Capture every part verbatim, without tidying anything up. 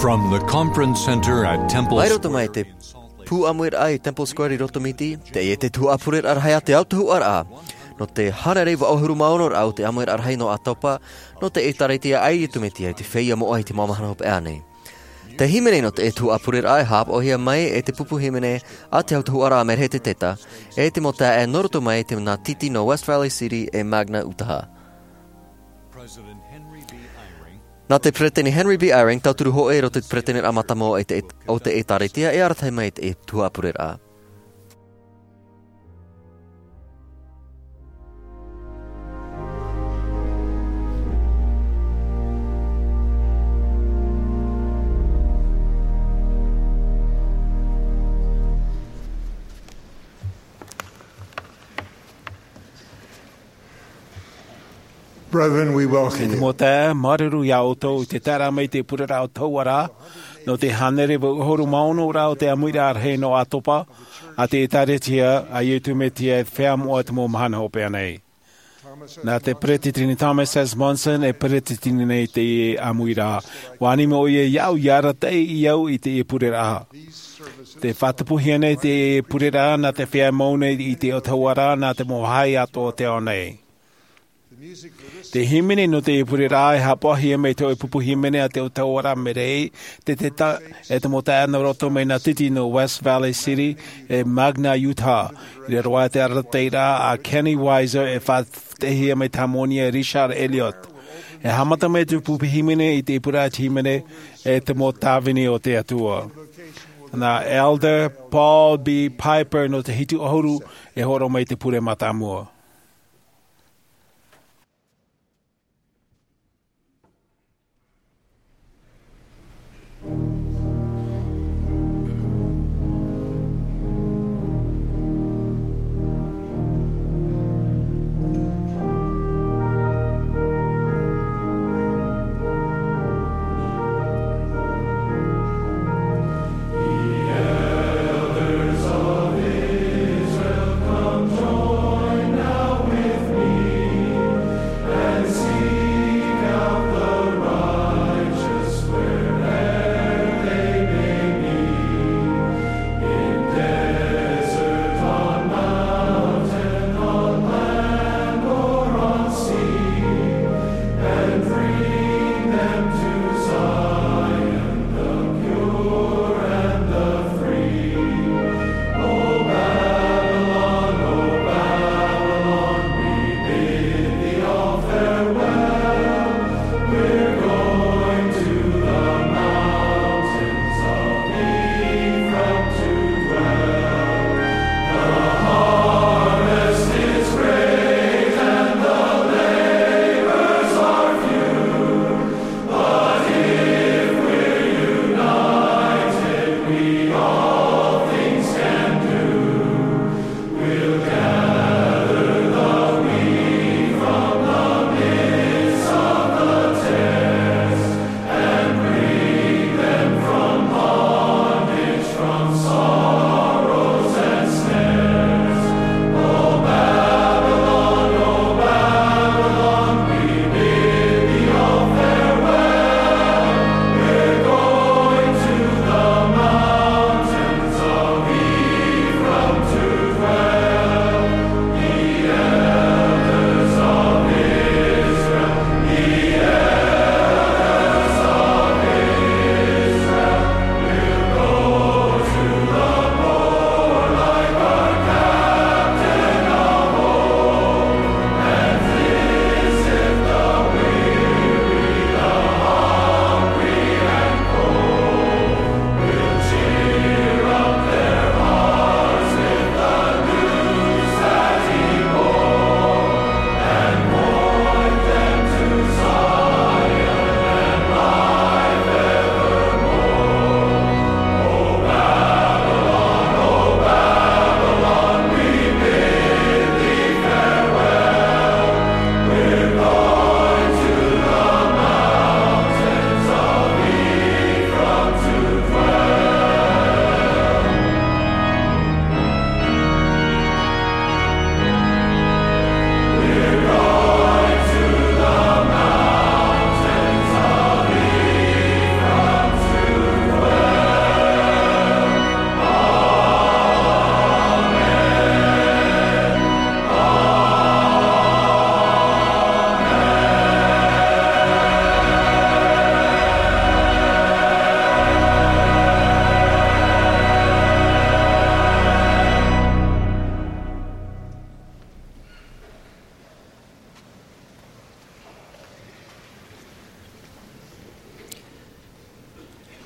From the conference center at Temple Mai roto mai te pū ʻāmuiraʻa i Temple Square i Rotomiti, teie te tuhaʻa pureraʻa rahi a te autahuʻaraʻa. Nō te hānere vaʻu ʻahuru mā ono raʻa o te ʻāmuiraʻa rahi nō ʻĀtopa, nō te ʻĒtārētia a Iesu Mesia i te feiā moʻa i te mau mahana hopeʻa nei. Te hīmene nō te tuhaʻa pureraʻa e haʻapaʻohia mai e te pupu hīmene a te autahuʻaraʻa Merhete Teta, e te mau taeaʻe nō roto mai te nā Titi nō West Valley City e Magna, Utah. Nā te Peresideni Henry B. Eyring, tauturu hōʻē i roto i te peresideni mātāmua o te, o te ʻĒtārētia e arataʻi mai i te tuhaʻa pureraʻa. Brethren, we welcome you. Te mau taeaʻe, māuruuru iā ʻoutou i te taeraʻa mai i te pureraʻa autahuʻaraʻa, nō te hānere vaʻu ʻahuru mā ono raʻa o te ʻāmuiraʻa rahi nō ʻĀtopa, a te ʻĒtārētia a Iesu Mesia i te feiā moʻa i te mau mahana hopeʻa nei. Nā te Peresideni Thomas S. Monson e peresideni nei i teie ʻāmuiraʻa. ʻUa ani mai ʻoia iāʻu ʻia arataʻi au i teie pureraʻa. Tē faʻatupuhia nei teie pureraʻa nā te feiā mau nei i te autahuʻaraʻa nā te mau vāhi atoʻa o te ao nei. Te hīmene nō teie pureraʻa e haʻapaʻohia mai te hōʻē pupu hīmene a te autahuʻaraʻa Merhete Teta, e te mau taeaʻe nō roto mai nā Titi nō West Valley City e Magna, Utah. I raro aʻe i te arataʻiraʻa a Kenny Weiser e faʻaʻitehia mai te hāmani e Richard Elliott. E haʻamata mai te pupu hīmene i te pureraʻa hīmene e te mau tāvini o te Atua. Nā Elder Paul B. Piper nō te hitu ʻahuru e hōroʻa mai i te pure mātāmua.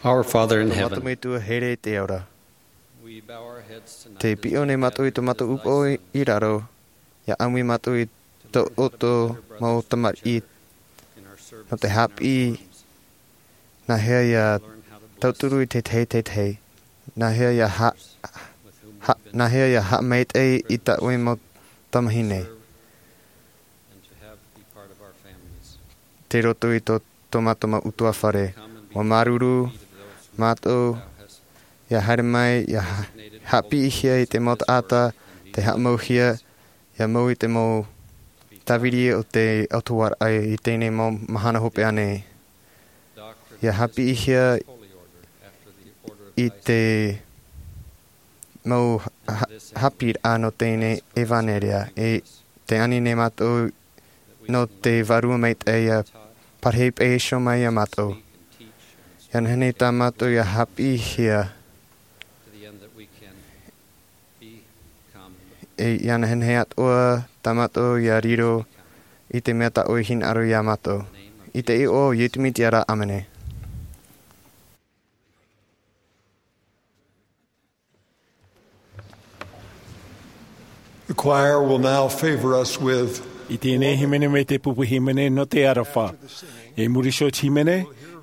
Our Father in heaven, mātou Metua here i te ao ra. Te piʻo nei mātou i tō mātou upoʻo i raro, ʻia ʻāmui mātou i tō ʻoutou mau tamariʻi nō te haʻapiʻi, nā hea ʻia tauturu i te teitei, nā hea ʻia ha-, ha-, nā hea ʻia haʻamaitaʻi i tā ʻoe mau tamāhine. Tei roto i tō, tō mātou mau ʻutuāfare. ʻUa māuruuru mātou, ʻia haere mai, ʻia ha-, haʻapiʻihia i te mau taʻata, tei haʻamauhia, ʻia mau i te mau tāviri o te ʻOtua i teie nei mau mahana hopeʻa nei. ʻIa haʻapiʻihia i te mau ha-, haʻapiʻiraʻa nō teie nei ʻevanelia, e tē ani nei mātou nō te Vārua Maitaʻi ʻia pārahi pāpū mai ia mātou. ʻIa nehenehe tā mātou ʻia haʻapiʻihia, e ʻia nehenehe atoʻa tā mātou ʻia riro i te mea tā ʻoe i hinaʻaro ia mātou. I te iʻoa o Iesu Mesia ra, ʻāmene. The choir will now favor us with I teie nei hīmene mai te pupu hīmene nō te aroha. I muri iho i te hīmene,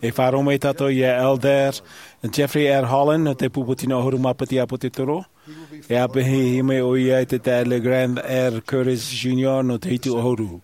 e faʻaroʻo mai tātou ia Elder Jeffrey R. Holland nō te pupu tino ʻahuru mā piti ʻāpōsetolo. E ʻāpeʻehia mai ʻoia e te taeaʻe Grant R. Curtis Junior nō te hitu ʻahuru.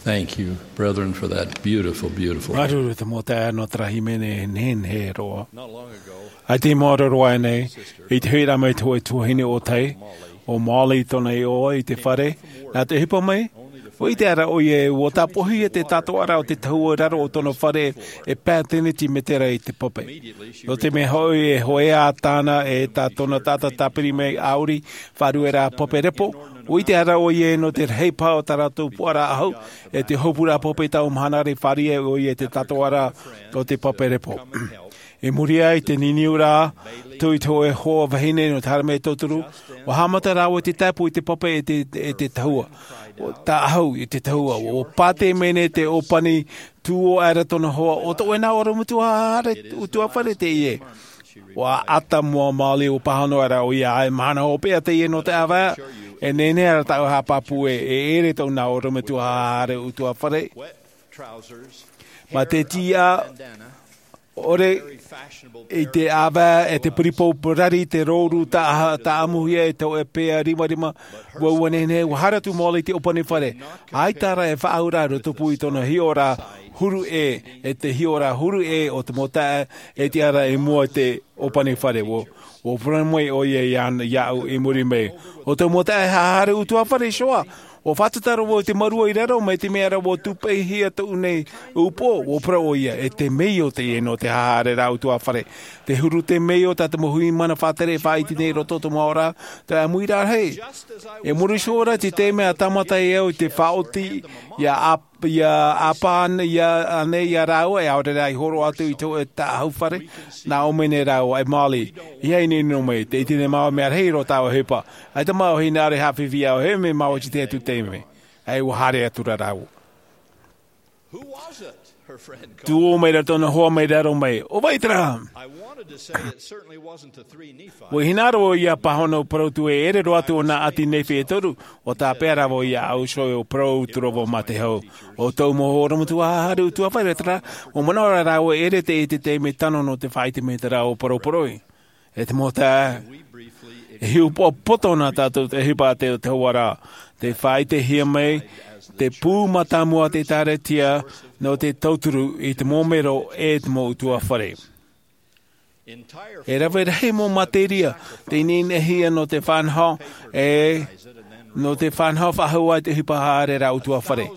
Thank you, brethren, for that beautiful, beautiful. Māuruuru te mau taeaʻe nō terā hīmene nehenehe roa. ʻAita i maoro roa nei, i te huiraʻa mai te hōʻē tuahine ʻōtahi, ʻo Molly tōna iʻoa, i te fare, nā te ʻohipa mai, ʻua ʻite ʻoia ē, ʻua tāpoʻihia te tātoʻaraʻa o te tahua i raro o tōna fare e pae tēneti mētera i te pape. Nō te mea hoʻi e hōʻē ā tāna e tā tōna taʻata tāpiri mai ʻāuri, faʻarueraʻa pape repo, ʻua ʻite ʻoia ē nō te rahi paha o tā rātou puaraʻa ʻahu, e te hopuraʻa pape tau mahana ra i fāriʻi ʻoia i te tātoʻaraʻa o te pape repo. I muri aʻe i te niniuraʻa, tō te hōʻē hoa vahine nō te haere mai e tauturu, ʻua haʻamata rāua i te tāpū i te pape e te, e te tahua. ʻUa tāʻahu i te tahua, ʻua pātē mai nei te ʻōpani tū ʻō aʻera tōna hoa, ʻo tō ʻoe nā ʻorometua haʻahaʻa ʻutuāfare teie. ʻUa ʻata mua Molly, ʻua pāhono aʻera ʻoia, ʻaita e mahana hopeʻa teie nō te ʻāvae, e nehenehe ra tāʻu e haʻapāpū ē, e ʻere tōʻu nā ʻorometua haʻahaʻa ʻutuāfare. Mā te tiʻa ʻore i te ʻāvae, e te puripū parari, te rōrū taʻa-, taʻamuhia, e tō ʻoe pea rimarima, ʻua, ʻua nehenehe, ʻua haere atu Molly i te ʻōpani fare. ʻAita rā e faʻaauraʻa i roto pū i tōna hiʻoraʻa huru ʻē, e te hiʻoraʻa huru ʻē o te mau taeaʻe, e tiʻa ra i mua i te ʻōpani fare. ʻUa, ʻua parau mai ʻoia iā, iāʻu i muri mai. ʻO te mau taeaʻe haʻahaʻa ʻutuāfare, Joa, ʻua fātata ra vau i te mārua i raro, mai te mea ra ʻua tūpeihia tōʻu nei upoʻo, ʻua parau ʻoia, e te meio teie nō te haʻahaʻaraʻa ʻutuāfare. Te huru te meio tā te mau hui mana faʻatere e faʻaʻite nei i roto o te mau ora, te ʻāmuiraʻa rahi. E muri iho ra i te taime a tāmata ai au i te faʻaoti, ʻia ap-, ʻia ʻāpā ana, ʻia, ānei iā rāua, e ʻaore rā i hōroʻa atu i te hōʻē taʻahu fare, nā ʻō mai nei rāua, e Molly, ʻeiaha e ʻinoʻino mai, tē ʻite nei māua mea rahi roa tā ʻoe ʻohipa. ʻAita māua e hinaʻaro e haʻafifi iā ʻoe, e mea māua i te tahi atu taime. ʻAita ʻua haere atu ra rāua. Tū ʻō mai ra tōna hoa mai raro mai. ʻO vai terā? I wanted to say it certainly wasn't the three Nephites. ʻUa hinaʻaro ʻoia e pāhono, parau atu ē, e ʻere roa atu ō nā ʻāti Nephi e toru, ʻua tāpeʻa ra vau iāʻu iho, ʻua parau atu ra vau mā te hau. ʻO tōʻu mau ʻorometua haʻahaʻa ʻutuāfare terā, ʻua manaʻo ra rāua e ʻere teie te taime tano nō te faʻaʻite mai i terā ʻōparau parau. E te mau taeaʻe, e hiʻopoʻa poto na tātou i te ʻohipa a te, te tahua ra, tē faʻaʻitehia mai te pū mātāmua o te ʻĒkālesia nō te tauturu i te mau mero e te mau ʻutuāfare. E rave rahi mau materia tei neheneʻihia nō te faʻanaho, e nō te faʻanaho faʻahou i te ʻohipa haʻahaʻaraʻa ʻutuāfare.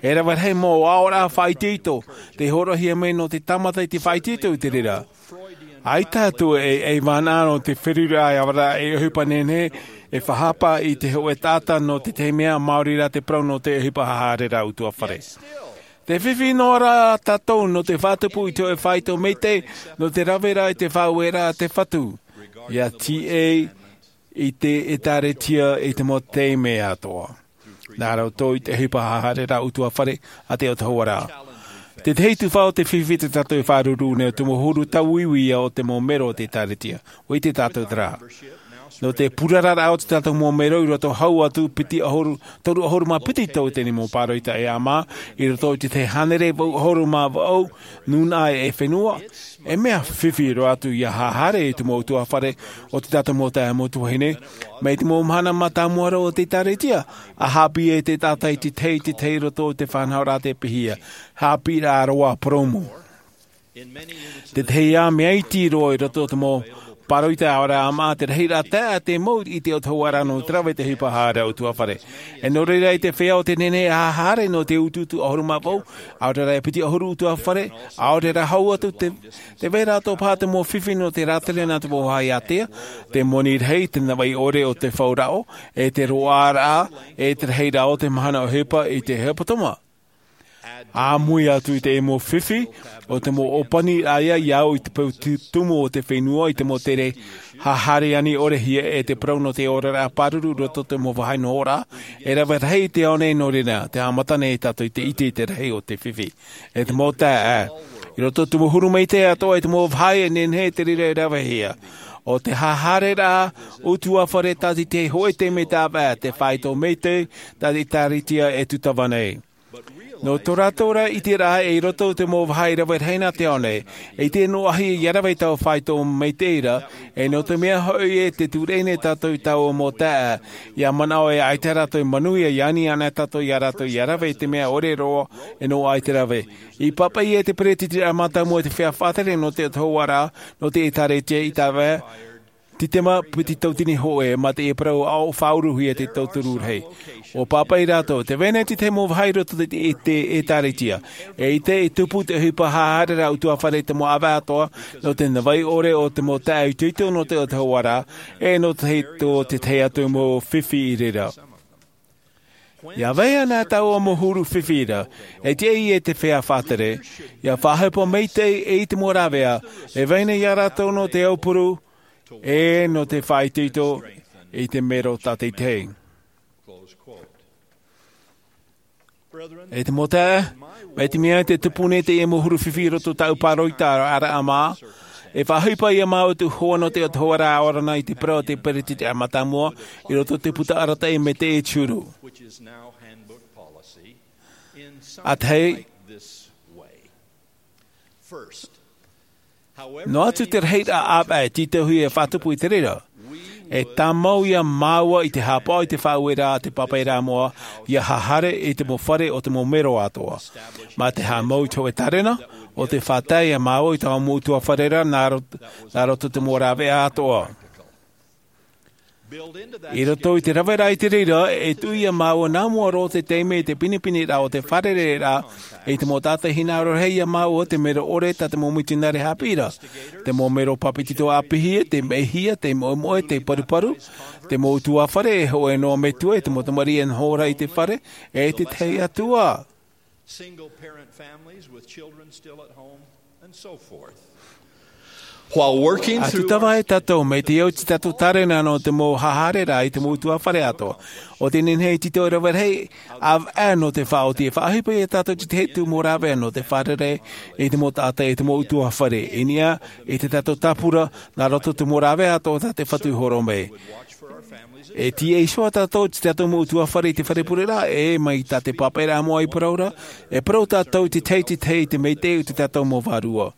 E rave rahi mau aʻoraʻa faʻaitoito tei hōroʻahia mai nō te tāmata i te faʻaitoito i te reira. ʻAita atu e, e vānaʻa nō te feruriraʻa e ʻavaraʻa e ʻohipa nehenehe, e faʻahapa i te hōʻē taʻata nō te tahi mea, maori rā te parau nō te ʻohipa haʻahaʻaraʻa ʻutuāfare. Tē fifi noa ra tātou nō te faʻatupu i te hōʻē faito maitaʻi, nō te raveraʻa i te faʻaueraʻa a te Fatu, ʻia tīaʻi i te ʻĒkālesia i te mau taime atoʻa. Nā roto i te ʻohipa haʻahaʻaraʻa ʻutuāfare a te autahuʻaraʻa. Te tahi tuhaʻa o te fifi tā tātou e faʻaruru nei, ʻo te mau huru tauiui ïa o te mau mero o te ʻĒkālesia. ʻUa ʻite tātou terā. Nō te purararaʻa o tā tātou mau mero i roto hau atu piti ʻahuru, toru ʻahuru mā piti tau i teie nei mau pāroita e ʻāmā, i roto i te tahi hānere vaʻu ʻahuru mā vaʻu nūnaʻa e fenua, e mea fifi roa atu ʻia haʻahaʻa i te mau ʻutuāfare o tā tātou mau taeaʻe, mau tuahine, mai te mau mahana mātāmua ra o te ʻĒkālesia, ʻa haʻapiʻi ai te taʻata i te tahi, i te tahi i roto i te faʻanahoraʻa tei pīhaʻi, haʻapiʻiraʻa roa purōmu. Te tahi ā mea iti roa i roto i te mau pāroita ʻaore rā ʻāmā, te rahiraʻa taeaʻe tei mau i te autahuʻaraʻa nō te rave i te ʻohipa haʻahaʻaraʻa ʻutuāfare. E nō reira, ʻaita e feiā ʻo tē nehenehe e haʻahaʻa nō te utuutu ʻahuru mā vaʻu, ʻaore rā e piti ʻahuru ʻutuāfare, ʻaore rā hau atu te, tē vai ra atoʻa paha te mau fifi nō te rātere nā te vāhi ātea, te moni rahi, te navaʻi ʻore o te fauraʻo, e te roaraʻa, e te rahiraʻa o te mahana ʻohipa i te hepetoma. ʻAmui atu i te mau fifi, ʻo te mau ʻōpaniraʻa ïa au i te peu tu-, tumu o te fenua, i te mau tere haʻahaʻa ani ʻore hia e te parau nō te oraraʻa pāruru i roto i te mau vāhi nohoraʻa, e rave rahi te ao nei nō reira, tē haʻamata nei tātou i te ʻite i te rahi o te fifi. E te mau taeaʻe, i roto i te mau huru maitaʻi atoʻa i te mau vāhi e nehenehe te reira e ravehia. ʻO te haʻahaʻaraʻa ʻutuāfare tā te tahi hōʻē taime tāvaʻa, te faito maitaʻi tā te ʻĒkālesia e tūtava nei. Nō tō rātou ra ʻiteraʻa, i roto i te mau vāhi rave rahi nā te ao nei, e ʻite noa hia ia rave i taua faito maitaʻi ra, e nō te mea hoʻi e te tūreʻi nei tātou i taua mau taeaʻe, ia manaʻo e ʻaita rātou i manuia, ia ani ana tātou ia rātou ia rave i te mea ʻore roa e noaʻa i te rave. I pāpaʻi e te peretitiraʻa mātāmua i te feiā faʻatere nō te Atua ra, nō te ʻĒtārētia i tāvea, te tama piti tautini hōʻē, mā te parau ʻaʻo faʻauruhia te tauturu rahi. ʻUa pāpaʻi rātou, tē vai nei te tahi mau vāhi i roto i te, i te ʻĒtārētia. E ʻite, e tupu te ʻohipa haʻahaʻa ra ʻutuāfare i te mau ʻāvae atoʻa, nō te navai ʻore o te mau taeaʻe itoito nō te Atua ra, e nō te, tō te tahi atu mau fifi i reira. Ia vai ana taua mau huru fifi ra, e tiʻa e te feiā faʻatere, ia faʻaʻohipa maitaʻi i te mau rāveʻa, e vai nei ia rātou nō te aupuru, e nō te faʻaitoito i te mero tātaitahi. E te mau taeaʻe, mai te mea tē tupu nei teie mau huru fifi i roto i tāʻu pāroita ra, ʻaraʻa mā, e faʻaʻohipa ia māua te hoa nō te Atua ra ʻaore rā i te parau a te peretitiraʻa mātāmua, i roto i te puta arataʻi mai te ʻĒtūru. ʻĀtahi, noa atu te rahiraʻa ʻāvae e tītauhia e faʻatupu i te reira, e tāmau ia māua i te haʻapaʻo i te faʻaueraʻa a te pāpaʻiraʻa moʻa, ia haʻahaere i te mau fare o te mau mero atoʻa. Mā te haʻamau i te hōʻē tārena, ʻo te faʻatae ia māua i taua mau ʻutuāfare ra nā ro-, nā roto i te mau rāveʻa atoʻa. I roto i te rave ra i te reira, e tuʻu ia māua nā mua roa te taime i te pinepine ra o te fārereiraʻa, i te mau taʻata hinaʻaro rahi ia māua te mero ʻore tā te mau mitionare haʻapiʻi ra. Te mau mero pāpetito ʻāpīhia, te mehia, te moʻemoʻe, te paruparu, te mau ʻutuāfare, e hōʻē noa metua, e te mau tamariʻi e noho ra i te fare, e te tahi atu ā. Single parent families with children still at home, and so forth. While working through our... ʻA tūtava ai tātou, mai te au i te tātou tārena nō te mau haʻahaʻaraʻa i te mau ʻutuāfare atoʻa, ʻo tē nehenehe e tītau e rave rahi ʻāvae nō te faʻaoti, e faʻaʻohipa ia tātou i te tahi atu mau rāveʻa nō te fārerei i te mau taʻata, i te mau ʻutuāfare, i niʻa i te tātou tāpura, nā roto i te mau rāveʻa atoʻa tā te Fatu i hōroʻa mai. E tīaʻi iho ā tātou i te tātou mau ʻutuāfare i te fare pure ra, e mai tā te pāpaʻiraʻa moʻa i parau ra, e parau tātou i te tahi i te tahi i te maitaʻi o te tātou mau vārua.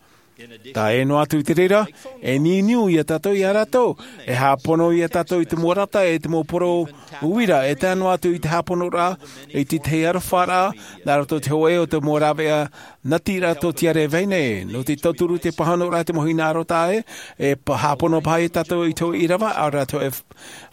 Tae noa atu i te reira, e niuniu ia tātou ia rātou, e haʻapono ia tātou i te mau rata, e te mau poro uira, e tae noa atu i te haʻaponoraʻa i te tahi arofaraʻa, nā roto i te hōʻē o te mau rāveʻa nati ra tōtiare e vai nei, nō te tauturu, te pāhonoraʻa i te mau hinaʻaro taʻa ʻē, e pa-, haʻapono paha ia tātou i te hōʻē ʻīrava, ʻaore rā te hōʻē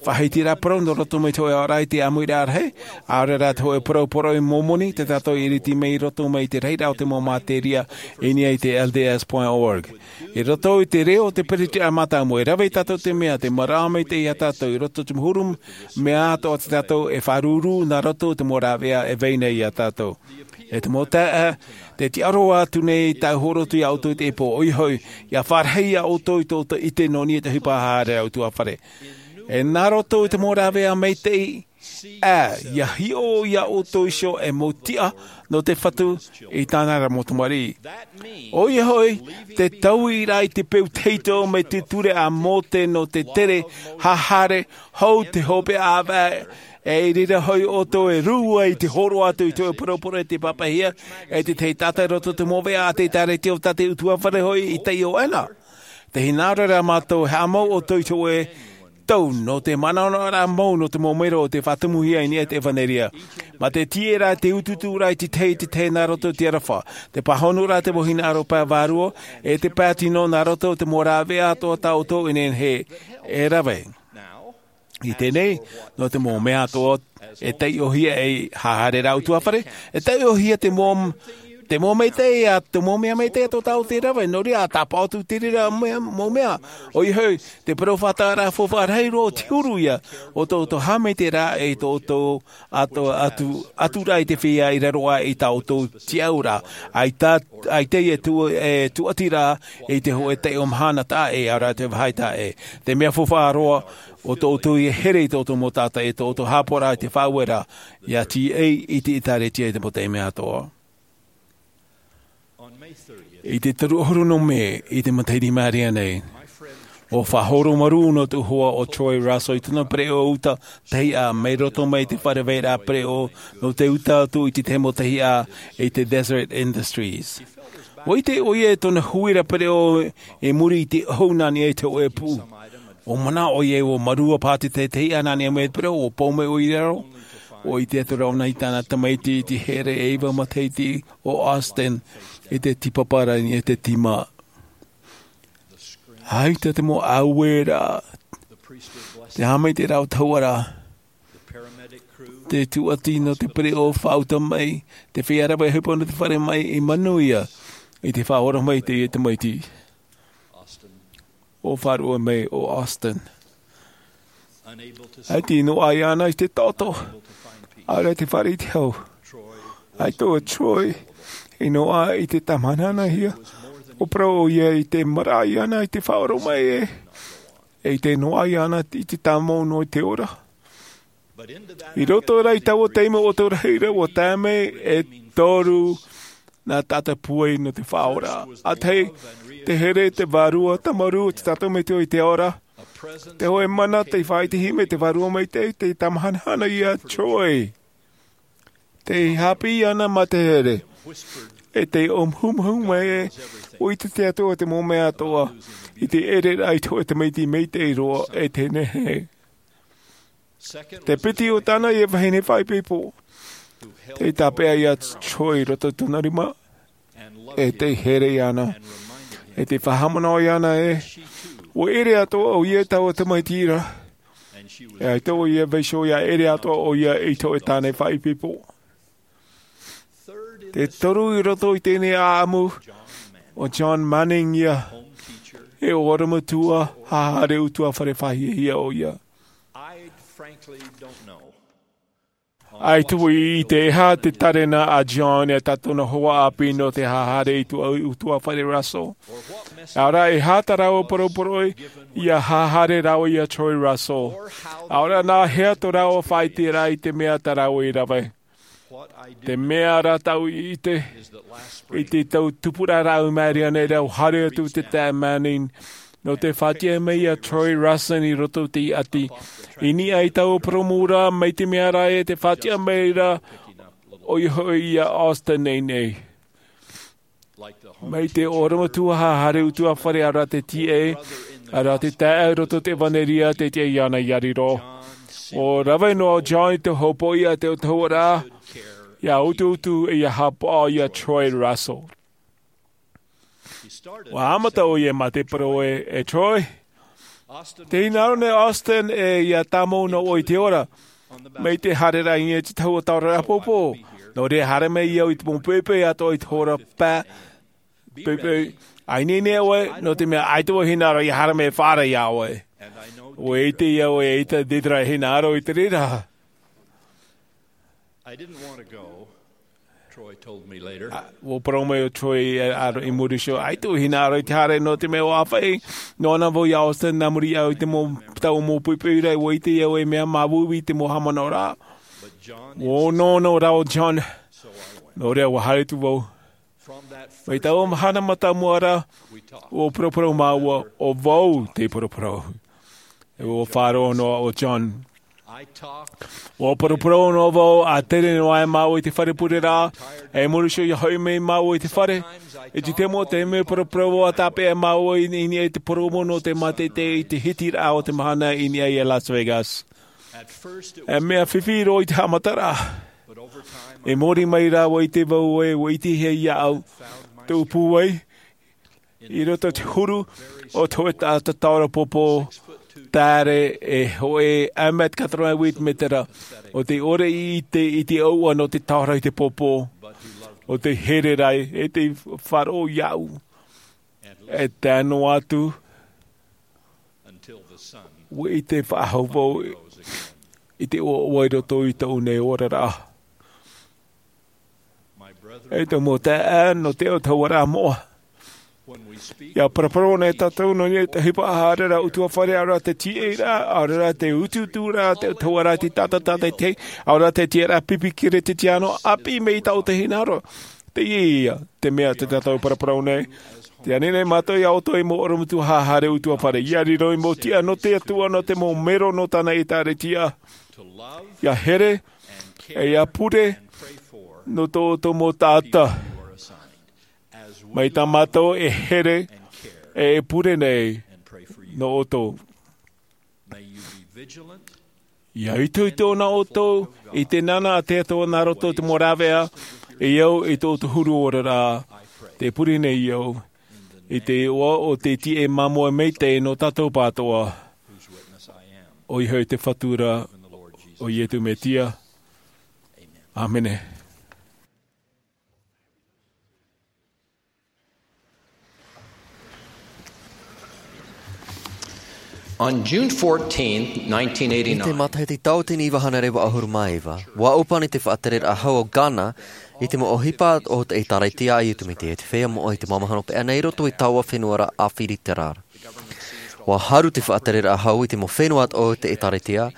faʻahitiraʻa parau nō roto mai te hōʻē aʻoraʻa i te ʻāmuiraʻa rahi, ʻaore rā te hōʻē parau poroʻi Momoni, tā tātou i ʻiriti mai i roto mai i te rahiraʻa o te mau materia, i niʻa i te L D S point org. I roto i te reo o te peretitiraʻa mātāmua, e rave tātou i te mea, tē maraʻa maitaʻi ia tātou i roto i te mau huru mea atoʻa tā tātou e faʻaruru nā roto i te mau rāveʻa e vai nei ia tātou. E te mau taeaʻe, tē tiʻa roa atu nei tāʻu hōroʻa atu ia ʻoutou i teie pō, ʻoia hoʻi, ia fāriʻi ia ʻoutou i tō ʻoutou ʻite nō niʻa i te ʻohipa haʻahaʻa ra ʻutuāfare. E nā roto i te mau rāveʻa maitaʻi, ā, ia hiʻo ia ʻoutou iho e mau tiʻa nō te Fatu i tāna ra mau tamariʻi. ʻOia hoʻi, te taui ra i te peu tahito mai te ture a Mōte nō te tere haʻahaʻa hou te hopeʻa ʻāvae, e i reira hoʻi ʻoutou e rū ai i te hōroʻa atu i te hōʻē poroporo e tē pāpaʻihia e te tahi taʻata i roto i te mau veʻa a te ʻĒtārētia o tā te ʻutuāfare hoʻi i taiʻo ana. Tē hinaʻaro ra mātou e haʻamau ʻoutou i te hōʻē tau nō te manaʻonaʻoraʻa mau nō te mau mero o tē faʻatumuhia i niʻa i te ʻevanelia. Mā te tīaʻi ra, te utuuturaʻa i te tahi, i te tahi nā roto i te aroha, te pāhonoraʻa i te mau hinaʻaro pae vārua, e te pae tino nā roto i te mau rāveʻa atoʻa tā ʻoutou e nehenehe e rave. I teie nei, nō te mau mea atoʻa e taiʻohia ei haʻahaʻa ra ʻutuāfare, e taiʻohia te mau, te mau maitaʻi ā, te mau mea maitaʻi atoʻa tā ʻoutou e rave, nō reira, ʻa tāpaʻo atu i te reira mea, mau mea. ʻOia hoʻi, te parau faʻataʻaraʻa faufaʻa rahi roa, te huru ia o tō ʻoutou haʻamaitaʻiraʻa, e tō ʻoutou atu, atu, atu ra i te feiā i raro aʻe i tā ʻoutou tiʻauraʻa. ʻAita, ʻaita e tū-, e tūʻati ra i te hōʻē taiʻo mahana taʻa ʻē, ʻaore rā te vāhi taʻa ʻē. Te mea faufaʻa roa, ʻo tō ʻoutou e here i tō ʻoutou mau taʻata, e tō ʻoutou haʻapaʻoraʻa i te faʻaueraʻa, ia tīaʻi i te ʻĒtārētia i te mau taime atoʻa. I te toru ʻahuru nō Mē, i te matahiti i maʻiri aʻe nei, ʻO faʻahoro marū nō te hoa o Troy Russell i tōna pereʻoʻo uta tahi ʻā mai roto mai i te fare vairaʻa pereʻoʻo nō te uta atu i te temo tahi ʻā i te Desert Industries. ʻUa ʻite ʻoia i tōna huira pereʻoʻo i muri i te ʻohu nā niʻa i te hōʻē pū. ʻO manaʻo ʻoia ʻua marua paha te tahi ʻā nā niʻa mai i te pereʻoʻo, ʻua pau mai ʻoia i raro. ʻUa ʻite atu rā ʻōna i tāna tamaiti i te here e iva matahiti o Austin i te tīpapa ra i te tīma. ʻAita te mau ʻāueraʻa, te haʻamaitaʻiraʻa o te hauʻa ra, te tūʻati nō te pereʻoʻo faʻauta mai, te feiā rave ʻohipa nō te fare mai i manuia i te faʻaora mai i teie tamaiti. ʻO faʻaroʻo mai ʻo Austin. ʻAita i noaʻa iāna i te taoto, ʻaore rā te fare i te hau. ʻAita ʻo Troy i noaʻa i te tāmāhanahia. ʻO parau ʻoia i te maraʻa iāna i te faʻaora mai ē, e i te noaʻa iāna i te tāmau noa i te ora. I roto rā i taua taime ʻoto rahi ra ʻua tae mai e toru nā tātou pūai nō te faʻaora. ʻA tahi, te here, te vārua, tāmarū o te tātou metua i te ao ra. Te hōʻē mana, te faʻaʻitehia mai te vārua maitaʻi, te tāmāhanahana iā Troy. Tei haʻapiʻi iāna mā te here. E tei ʻōmuhumuhu mai ē, ʻua ʻite te Atua i te mau mea atoʻa, i te ʻereraʻa i te hōʻē tamaiti maitaʻi roa e te nehenehe. Te piti, ʻo tāna ïa vahine faʻaipoipo, tei tāpeʻa iā Troy i roto i tōna rima, e tei here iāna, e tei faʻahaʻamanaʻo iāna ē, ʻua ʻere atoʻa ʻoia i taua tamaiti ra, e ʻaita ʻoia e vaiiho ʻia ʻere atoʻa ʻoia i te hōʻē tāne faʻaipoipo. Te toru, i roto i teie nei ʻāʻamu, ʻo John Manning ïa, e ʻorometua haʻahaere ʻutuāfare faʻahiahia ʻoia. I frankly don't know. ʻAita vau i ʻite e aha te tārena a John e tā tōna hoa ʻāpī nō te haʻahaere i te ʻutuāfare Russell. ʻAore rā e aha tā rāua poroporoʻi ʻia haʻahaere rāua iā Troy Russell. ʻAore rā nā hea tō rāua faʻaʻiteraʻa i te mea tā rāua i rave. Te mea rā tāʻu i ʻite, i te tau tupuraʻa rāʻau maʻiri ʻana, ʻua haere atu te taeaʻe Manning nō te faʻatiʻa mai iā Troy Russell i roto i te ʻati. I niʻa i taua purōmu ra, mai te mea rā ē tē faʻatiʻa mai ra, ʻoia hoʻi iā Austin nei nei. Mai te ʻorometua haʻahaere ʻutuāfare, ʻaore rā te tīaʻi, ʻaore rā te taeaʻe i roto i te ʻevanelia, tē tiʻa iāna ʻia riro. ʻUa rave noa ʻo John i te hopoiʻa a te autahuʻaraʻa, ʻia utuutu, ʻia haʻapaʻo iā Troy Russell. ʻUa haʻamata ʻoia mā te parau ē, e Troy, tē hinaʻaro nei Austin ē ʻia tāmau noa ʻoe i te ora, mai te haereraʻa i niʻa i te tahua taoraʻa pōpō. Nō reira, haere mai au i te mau poʻipoʻi atoʻa i te hora pae, poʻipoʻi. ʻA ineine ʻoe, nō te mea ʻaita vau e hinaʻaro ʻia haere mai e faʻaara iā ʻoe. ʻUa ʻite ïa ʻoe, ʻaita te reira e hinaʻaro i te reira. I didn't want to go, Troy told me later. ʻUa parau mai ʻo Troy, ā, i muri iho, ʻaita vau e hinaʻaro i te haere, nō te mea ʻua ʻāfaʻi noa na vau iā Austin nā muri iho i te mau, taua mau poʻipoʻi ra, ʻua ʻite ïa ʻoe, mea māuiui te mau haʻamanaʻoraʻa. ʻUa onoono rā ʻo John, nō reira ʻua haere atu vau. Mai taua mahana mātāmua ra, ʻua poroporo māua, ʻo vau tei poroporo. E ʻua faʻaroʻo noa ʻo John. ʻUa poroporo noa vau, ʻa tere noa ai māua i te fare pureraʻa, e muri iho ʻia hoʻi mai māua i te fare. I te taime, taime poroporo vau ʻa tāpeʻa māua i, i niʻa i te purōmu nō te mātete i te hitiraʻa o te mahana i niʻa i Las Vegas. E mea fifi roa i te haʻamataraʻa. I muri mai rā ʻua ʻite vau ē, ʻua ʻitehia iāʻu tōʻu pūai, i roto i te huru o te hōʻē taʻata taora pōpō, taere e hōʻē un mètre quatre-vingt-huit mētera, ʻo tē ʻore i ʻite i te ʻauʻa nō te taora i te pōpō, ʻo tē here ra e tē faʻaroʻo iāʻu. E tae noa atu, ʻua ʻite faʻahou vau i te ʻoaʻoa i roto i tōʻu nei oraraʻa. E te mau taeaʻe nō te autahuʻaraʻa moʻa. ʻIa paraparau nei tātou nō niʻa i te ʻohipa haʻahaere ra ʻutuāfare, ʻaore rā te tīaʻiraʻa, ʻaore rā te utuuturaʻa a te autahuʻaraʻa i te taʻata tātaʻitahi, ʻaore rā te tiʻaraʻa pipi kerisetiano, ʻāpī mai i taʻu te hinaʻaro. Ia, te mea te tātou paraparau nei. Te ani nei mātou ia ʻoutou i mau ʻorometua haere ʻutuāfare. Ia riro i mau tiʻa nō te Atua, nō te mau mero nō tāna ʻēkālesia. Ia here, e ia pure, nō tō ʻoutou mau taʻata. Mai tā mātou e here, e e pure nei, nō ʻoutou. Ia itoito nā ʻoutou i te nānā a te Atua nā roto i te mau rāveʻa, e au i tō ʻoutou huru ora rā, te pure nei au, i te iʻoa o te tiʻa māmoe maitaʻi nō tātou pātoʻa. ʻOia hoʻi te Fatu ra, ʻo Iesu Mesia. ʻĀmene. On June fourteenth, nineteen eighty-nine, i te matahiti tauatini iva hānere vaʻu ʻahuru mā iva, ua ʻōpani te faʻatereraʻa hau o Ghana i te mau ʻohipa o te ʻĒtārētia a Iesu Mesia, te feiā moʻa i te mau mahana paʻi nei i roto i taua fenua ra ʻĀfirika ra. Ua haru te faʻatereraʻa hau i te mau fenua o te ʻĒtārētia,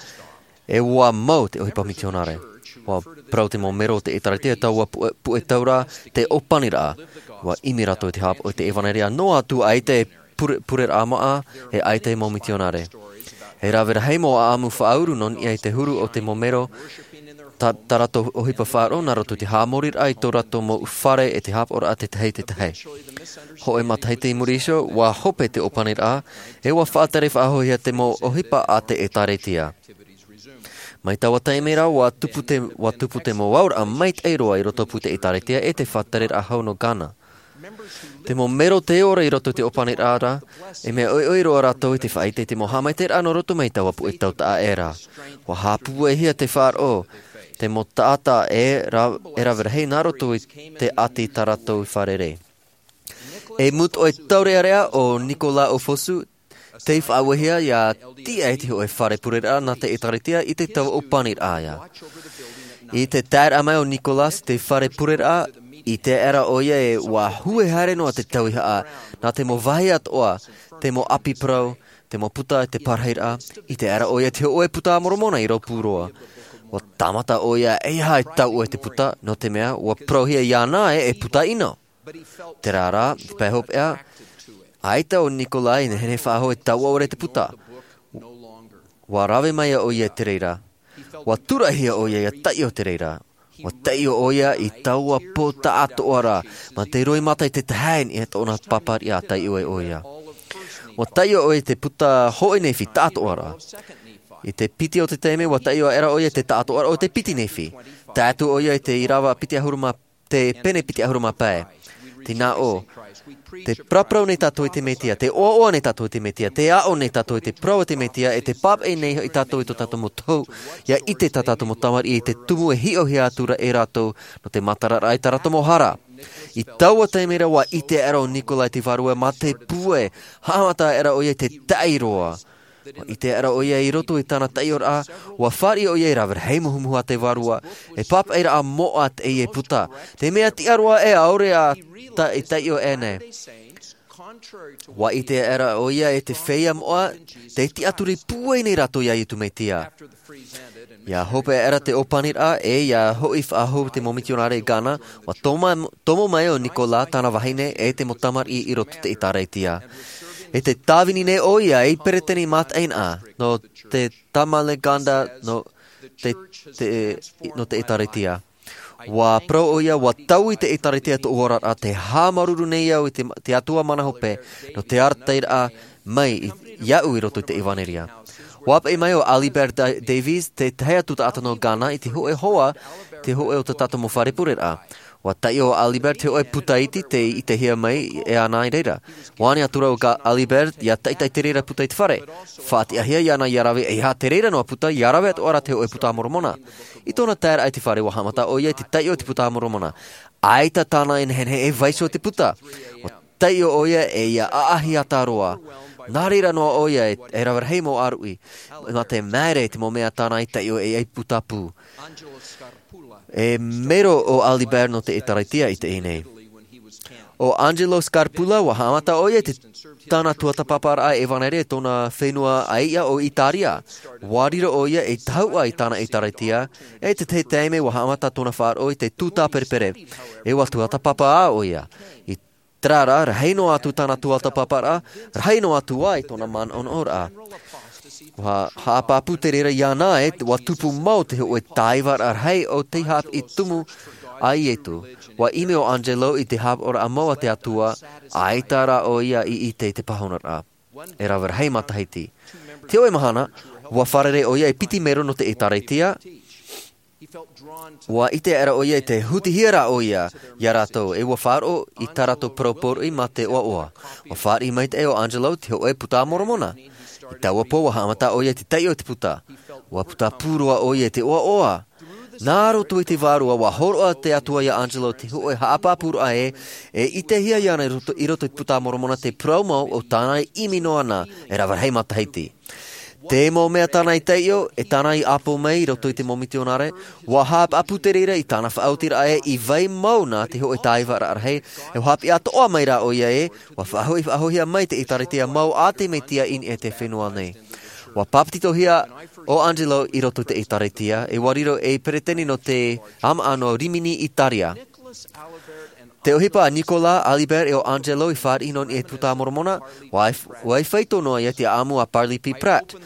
e ua mau te ʻohipa mitionare. Ua parau te mau mero o te ʻĒtārētia taua puʻe, puʻe tau ra te ʻōpaniraʻa. Ua ʻimi rātou i te hāpaʻo i te ʻevanelia noa atu ʻaita e pure, pureraʻa māʻa, e ʻaita e mau mitionare. E rave rahi mau ʻāʻamu faʻauru nō niʻa i te huru o te mau mero, tā, tā rātou ʻohipa faʻaroʻo nā roto i te haʻamoriraʻa i tō rātou mau fare e te hāpaʻoraʻa te tahi i te tahi. Hōʻē matahiti i muri iho, ua hope te ʻōpaniraʻa, e ua faʻatere faʻahouhia te mau ʻohipa a te ʻĒtārētia. Mai taua taime ra, ua tupu te, ua tupu te mau auraʻa maitaʻi roa i roto pū i te ʻĒtārētia e te faʻatereraʻa hau nō Ghana. Te mau mero tei ora i roto i te ʻōpaniraʻa ra, e mea ʻoiʻoi roa rātou i te faʻaʻite i te mau haʻamaitaʻiraʻa nō roto mai taua puʻe tau taʻa ʻē ra. Ua haʻapūaihia te faʻaroʻo, te mau taʻata e ra-, e rave rahi nā roto i te ʻati tā rātou i fārerei. E mūtoʻi taureʻareʻa ʻo Nicolas Ofosu, tei faʻauehia ʻia tiʻa i te hōʻē fare pureraʻa nā te ʻĒtārētia i te tau ʻōpaniraʻa ia. I te taeraʻa mai o Nicolas i te fare pureraʻa, ʻite aʻera ʻoia e ua hue haere noa te tauihaʻa, nā te mau vāhi atoʻa, te mau ʻapi parau, te mau puta e te parahiraʻa, ʻite aʻera ʻoia i te hōʻē puta a Moromona i rōpū roa. Ua tāmata ʻoia e ʻeiaha e tauʻo i te puta, nō te mea, ua parauhia iāna ē, e puta ʻino. Terā rā, i te pae hopeʻa, ʻaita ʻo Nicolas i nehenehe faʻahou e tauʻo ʻore i te puta. Ua rave mai ʻoia i te reira. Ua tūraʻihia ʻoia ʻia taiʻo i te reira. Ua taiʻo ʻoia i taua pō taʻatoʻa ra, mā te roimata i te taeaʻe i tōna pāpariʻa taiʻo ai ʻoia. Ua taiʻo ʻoia i te puta hōʻē nefi taʻatoʻa ra. I te piti o te taime, ua taiʻo aʻera ʻoia i te taʻatoʻaraʻa o te piti nefi. Tae atu ʻoia i te ʻīrava piti ʻahuru mā te pene piti ʻahuru mā pae. Tē nā ʻō, tē paraparau nei tātou i te Mesia, tē ʻoaʻoa nei tātou i te Mesia, tē aʻo nei tātou i te parau a te Mesia, e tē pāpaʻi nei hoʻi tātou i tō tātou mau tohu, ʻia ʻite tā tātou mau tamariʻi i te tumu e hiʻohia atu ra e rātou, nō te mātararaʻa i tā rātou mau hara. I taua taime ra ua ʻite aʻera ʻo Nicolas i te Vārua mā te pūai, haʻamata aʻera ʻoia i te taʻi roa. Ua ʻite aʻera ʻoia i roto i tāna taiʻoraʻa, ua fāriʻi ʻoia e rave rahi muhumuhu a te Vārua, e pāpaʻiraʻa moʻa teie puta. Te mea tiʻa roa ē ʻaore a ta-, e taiʻo aʻe nei. Ua ʻite aʻera ʻoia e te feiā moʻa, tē tiʻaturi pūai nei rātou ia Iesu Mesia. ʻIa hope aʻera te ʻōpaniraʻa, e ʻia hoʻi faʻahou te mau mitionare i Ghana, ua toma-, tomo mai ʻo Nicolas, tāna vahine, e te mau tamariʻi i roto i te ʻĒtārētia. E tē tāvini nei ʻoia i peresideni mātaʻina, nō te Tamanglada, nō te, te, nō te ʻĒtārētia. Ua parau ʻoia, ua taui te ʻĒtārētia i tōʻu oraraʻa, tē haʻamāuruuru nei au i te, te Atua mana hope, nō te arataʻiraʻa mai i, iaʻu i roto i te ʻevanelia. Ua paʻi mai ʻo Alibert Da-, Davis, te tahi atu taʻata nō Ghana, i te hōʻē hoa, te hōʻē o tā tātou mau fare pureraʻa. Ua taiʻo ʻo Alibert te hōʻē puta iti tei ʻitehia mai e ana i reira. Ua ani atu ra ʻo Ga-, Alibert, ʻia taʻitaʻi te reira puta i te fare. Faʻatiʻahia iāna ʻia rave, ʻeiaha te reira noa puta, ʻia rave atoʻa ra te hōʻē puta a Moromona. I tōna taeraʻa i te fare, ua haʻamata ʻoia i te taiʻo i te puta a Moromona. ʻAita tāna e nehenehe e vaiiho i te puta. Ua taiʻo ʻoia e ʻia ʻaʻahi ata roa. Nā reira noa ʻoia e, e rave rahi mau ʻāruʻi. Mā te maere i te mau mea tāna i taiʻo e ai puta pū. E mero ʻo Alibert nō te ʻĒtārētia i teie nei. ʻO Angelo Scarpulla, ua haʻamata ʻoia i te tāna tuatāpaparaʻa evanelia i tōna fenua ʻaiʻa o itaria. Ua riro ʻo ia ei tahuʻa i tāna ʻēkālesia, e te tahi taime ua haʻamata tōna faʻaroʻo i te tūtā perepere. E ua tuatāpapa ʻo ia i terā rā, rahi noa atu tāna tuatāpaparaʻa, rahi noa atu ā i tōna manaʻonaʻoraʻa. Ua haʻapāpū te reira iāna, e ua tupu mau te hoʻe taivaraʻa rahi o te haʻapiʻi tumu a iesu. Ua ʻimi ʻo angelo i te haʻapaʻoraʻa mau a te atua, ʻaita rā ʻo ia i ʻite i te pāhonoraʻa. E rave rahi matahiti, te hoʻe mahana, ua fārerei ʻo ia e piti mero nō te ʻēkālesia. Ua ʻite aʻera ʻo ia i te hutihia rā ʻo ia iā rātou, e ua faʻaroʻo i tā rātou parau pōroʻi mā te ʻoaʻoa. Ua fāriʻi maitaʻi ʻo angelo te hoʻe puta a moromona. I taua pō ua haʻamata ʻo ia i te taiʻo i te puta. Ua puta pū roa ʻo ia i te ʻoaʻoa. Nā roto i te vārua ua hōroʻa te atua iā angelo te hoʻe haʻapāpūraʻa ē, e ʻitehia iāna i roto i te puta a moromona te parau mau o tāna i ʻimi noa na. E rave rahi matahiti, te mau mea tāna i taiʻo e tāna i ʻāpō mai i roto i te mau mitionare, ua haʻapāpū te reira i tāna faʻaotiraʻa ē i vai mau na te hoʻe taivaraʻa rahi. E ua haʻapiʻi atoʻa mai rā ʻo ia ē, ua faʻahoʻi faʻahoʻihia mai te ʻēkālesia mau a te mesia i niʻa i te fenua nei. Ua bāpetizohia ʻo angelo i roto i te ʻēkālesia, e ua riro ei peresideni nō te ʻāmaʻa nō rimini itaria. Te ʻohipa a nicolas, albert e ʻo angelo i fāriʻi nō niʻa i te puta a moromona, ua i faito noa ia te ʻaʻamu a parley p pratt.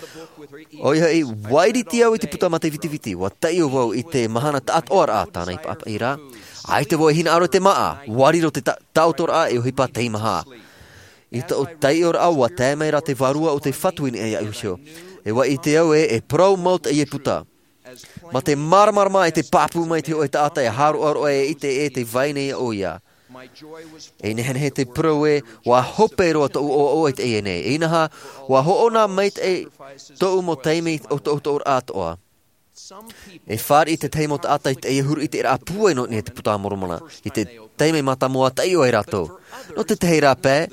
ʻOia hoʻi, ua iriti au i te puta mā te vitiviti, ua taiʻo vau i te mahana taʻatoʻaraʻa tāna i paʻapaʻi ra. ʻAita vau e hinaʻaro i te māʻa, ua riro te taʻotoraʻa e ʻohipa teimaha. I tōʻu taiʻoraʻa ua tae mai rā te vārua o te fatu i niʻa iāʻu iho. E ua ʻite au ē e parau mau teie puta. Mā te māramarama e te pāpū mai te hoʻe taʻata e hāroʻaroʻa e ʻite e te vai nei ʻo ia. E nehenehe te parau ē, ua hope roa tōʻu ʻoaʻoa i teie nei, inaha, ua hoʻona maitaʻi tōʻu mau taime o tōʻu atoʻa. E fāriʻi tētahi mau taʻata i teie huru i te raʻa pūai nō niʻa i te puta a moromona i te taime mātāmua taiʻo ai rātou. Nō tētahi rā pae,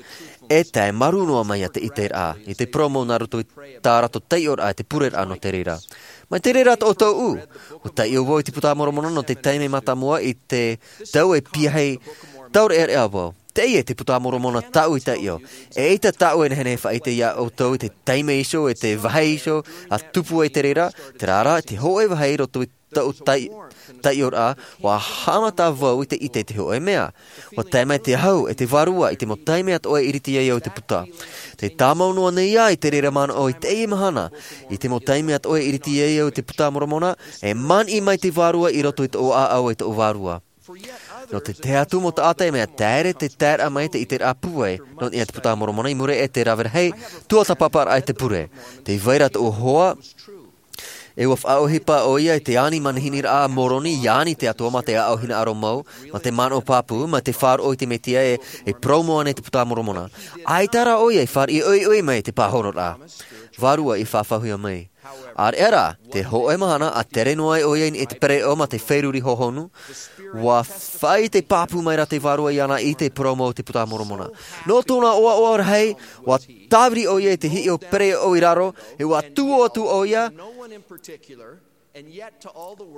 e tae maru noa mai ia te ʻiteraʻa i te parau mau nā roto i tā rātou taiʻoraʻa i te pureraʻa nō te reira. Mai te reira tōʻu ʻu, ua taiʻo vau i te puta a moromona nō te taime mātāmua i te tau e piahi taureʻareʻa vau. Teie te puta a moromona tāʻu i taiʻo. E ʻaita tāʻu e nehenehe faʻaʻite iā ʻoutou i te taime iho e te vāhi iho a tupu ai te reira, terā rā te hoʻe vāhi i roto i tōʻu taiʻoraʻa, ua haʻamata vau i te ʻite i te hoʻe mea. Ua tae mai te ahu e te vārua i te mau taime atoʻa e iriti ai au i te puta. Te tāmau noa nei ā i te reira manaʻo i teie mahana, i te mau taime atoʻa e iriti ai au i te puta a moromona, e maniʻi mai te vārua i roto i tōʻu ʻāʻau e tōʻu vārua. Nō te tahi atu mau taʻata e mea taere te taeraʻa mai te ʻiteraʻa pūai nō niʻa i te puta a moromona i muri e te rave rahi tuatāpaparaʻa i te pure. Te vai ra tōʻu hoa, e ua faʻaʻohipa ʻo ia i te ani manihiniraʻa a moroni i ani te atua mā te ʻaʻau hinaʻaro mau, mā te manaʻo pāpū mā te faʻaroʻo i te mesia e parau mau ana i te puta a moromona. ʻAita rā ʻo ia i fāriʻi ʻoiʻoi mai i te pāhonoraʻa. Vārua i faʻafauhia mai. ʻAreʻa rā, te hoʻe mahana a tere noa ai ʻo ia i niʻa i te pereʻoʻo mā te feruri hohonu, ua faʻaʻite pāpū mai rā te vārua iāna i te parau mau o te puta a moromona. Nō tōna ʻoaʻoa rahi, ua tāviri ʻo ia i te hiʻo pereʻoʻo i raro, e ua tuʻu atu ʻo ia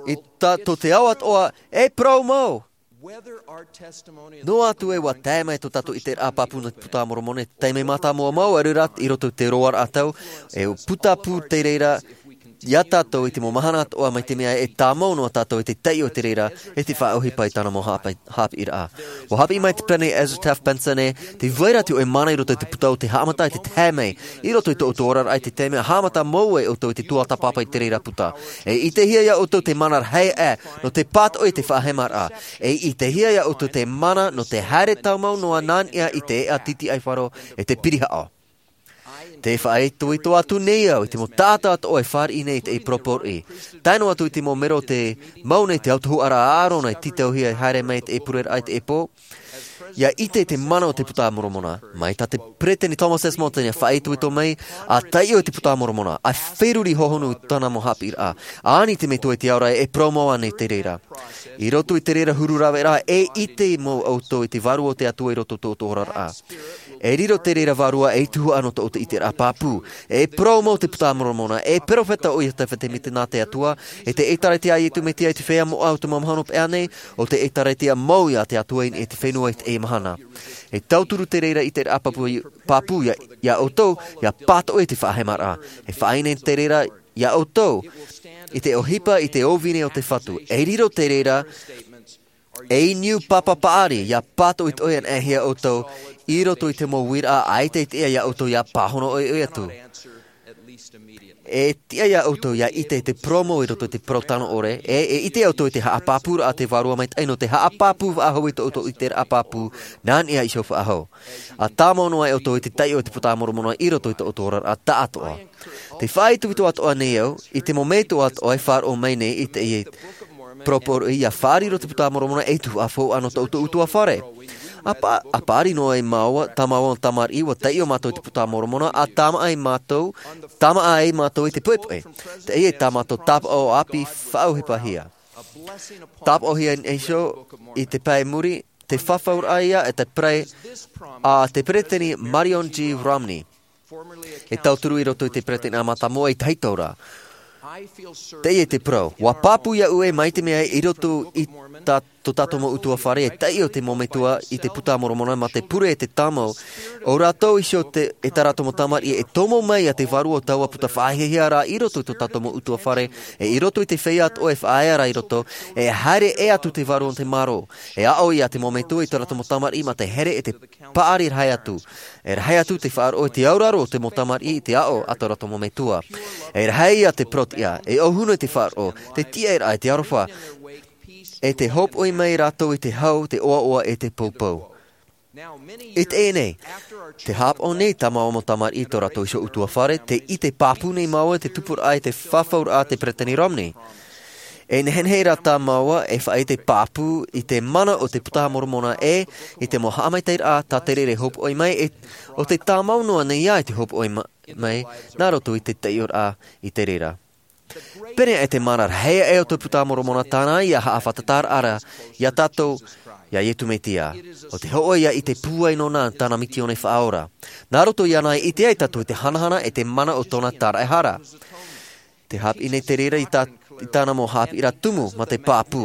i tā tō te ao atoʻa e parau mau. Noa atu e ua tae mai tō tātou ʻiteraʻa pāpū nō te puta a moromona i te taime mātāmua mau a reira i roto i te roaraʻa tau, e putapū te reira iā tātou i te mau mahana atoʻa mai te mea e tāmau noa tātou i te taiʻo i te reira e te faʻaʻohipa i tāna mau haʻapiʻiraʻa. Ua haʻapiʻi mai te peresideni ezra taft benson ē, te vai ra te hoʻe mana i roto i te puta o te haʻamata i te tae mai i roto i tō ʻoutou oraraʻa i te taime a haʻamata mau ai ʻoutou i te tuatāpapa i te reira puta. E ʻitehia iā ʻoutou te mana rahi aʻe nō te pātoʻi i te faʻahemaraʻa. E ʻitehia iā ʻoutou te mana nō te haere tāmau noa nā niʻa i te eʻa titiʻaifaro e te pirihaʻo. Te faʻaitoito atu nei au i te mau taʻata atoʻa e fāriʻi nei i te poroʻi, tae noa atu i te mau mero o te mau nei te autahuʻaraʻa a ʻārona e tītauhia e haere mai i te pureraʻa i te pō. Ia ʻite i te mana o te puta a moromona mai tā te peresideni thomas s monson ia faʻaitoito mai, a taiʻo i te puta a moromona a feruri hohonu i tāna mau haʻapiʻiraʻa, a ani te metua i te ao ra e parau mau ana i te reira. I roto i te reira huru raveraʻa e ʻite mau ʻoutou i te vārua o te atua i roto i tō ʻoutou oraraʻa. E riro te reira vārua ei tuhaʻa nō tō ʻoutou ʻiteraʻa pāpū. E parau mau te puta a moromona, e peropheta ʻo iosepha semita nā te atua, e te ʻēkālesia a iesu mesia i te feiā moʻa o te mau mahana pea nei, o te ʻēkālesia mau iā te atua i niʻa i te fenua i te e mahana. E tauturu te reira i te rā pāpū, pāpū ia, ia ʻoutou, ia pātoʻi te faʻahemaraʻa. E faʻaʻite te reira ia ʻoutou, i te ʻohipa, i te ʻōvini o te Fatu. E riro te reira, e niu papa paʻari, ia pātoʻitoʻi anaʻe hia ʻoutou, i roto i te mau uiraʻa, ʻaita e tiʻa ia ʻoutou ia pāhono ʻoiʻoi atu. E tiʻa ia ʻoutou ia ʻite te parau mau i roto i te parau tano ʻore, e, e ʻite ia ʻoutou i te haʻapāpūraʻa a te Vārua Maitaʻi nō te haʻapāpū faʻahou i tō ʻoutou ʻiteraʻa pāpū, nā niʻa iho faʻahou. ʻA tāmau noa ia ʻoutou i te taiʻo i te Puta Moromona i roto i tō ʻoutou oraraʻa tāʻātoʻa. Te faʻaitoito atoʻa nei au, i te mau metua atoʻa e faʻaroʻo mai nei i te, i te parau poroʻi, ia fārerei te Puta Moromona ei tuhaʻa faufaʻa nō tō ʻoutou ʻutuāfare. ʻA pā-, ʻa paʻari noa ia māua, tāmau tamariʻi, ʻua taiʻo mātou i te Puta Moromona, ʻa tāmaʻa ai mātou, tāmaʻa ai mātou i te poʻipoʻi. Teie tā mātou tāpaʻo ʻāpī faʻaʻohipahia. Tāpaʻohia iho i te pae muri, te fafauraʻa ia e te pere-, a te Peresideni Marion G. Romney. E tauturu i roto i te Peresideni a Mātamua i te hau ra. Teie te parau. ʻUa pāpū ia ʻoe mai te mea i roto i tā, tō tātou mau ʻutuāfare e taiʻo te mau metua i te Puta Moromona mā te pure e te tāmau. ʻO rātou iho te, e tā rātou mau tamariʻi e tomo mai ia te vārua o taua puta faʻahiahia ra i roto i tō tātou mau ʻutuāfare, e i roto i te feiā atoʻa e faʻaea ra i roto, e haere ʻē atu te vārua o te mārō. E aʻo ia te mau metua i tō rātou mau tamariʻi mā te here e te paʻari rahi atu. E rahi atu te faʻaroʻo i te auraro o te mau tamariʻi i te aʻo a tō rātou mau metua. E rahi ia te parau tiʻa, e ʻōhuna i te faʻaroʻo, te tiʻaraʻa, e te aroha, e te hopoʻi mai rātou i te hau, te ʻoaʻoa, e te poupou. I teie nei, tē haʻapaʻo nei tā māua mau tamariʻi i tō rātou iho ʻutuāfare, tē ʻite pāpū nei māua i te tupuraʻa, i te fafauraʻa a te Peresideni Romney. E nehenehe rā tā māua e faʻaʻite pāpū i te mana o te Puta Moromona e i te mau haʻamaitaʻiraʻa tā te reira e hopoʻi mai, e ʻo te tāmau noa nei ia i te hopoʻi ma-, mai, nā roto i te taiʻoraʻa i te reira. Pēneiaʻe te mana rahi aʻe o te Puta Moromona tāna ia haʻafātata ra ia tātou, ia Iesu Mesia. ʻO te hōʻē ia ʻite pūai nōna tāna misiōni faʻaora. Nā roto iāna e ʻite ai tātou i te hanahana e te mana o tōna tāraʻehara. Tē haʻapiʻi nei te reira i tā, i tāna mau haʻapiʻiraʻa tumu mā te pāpū.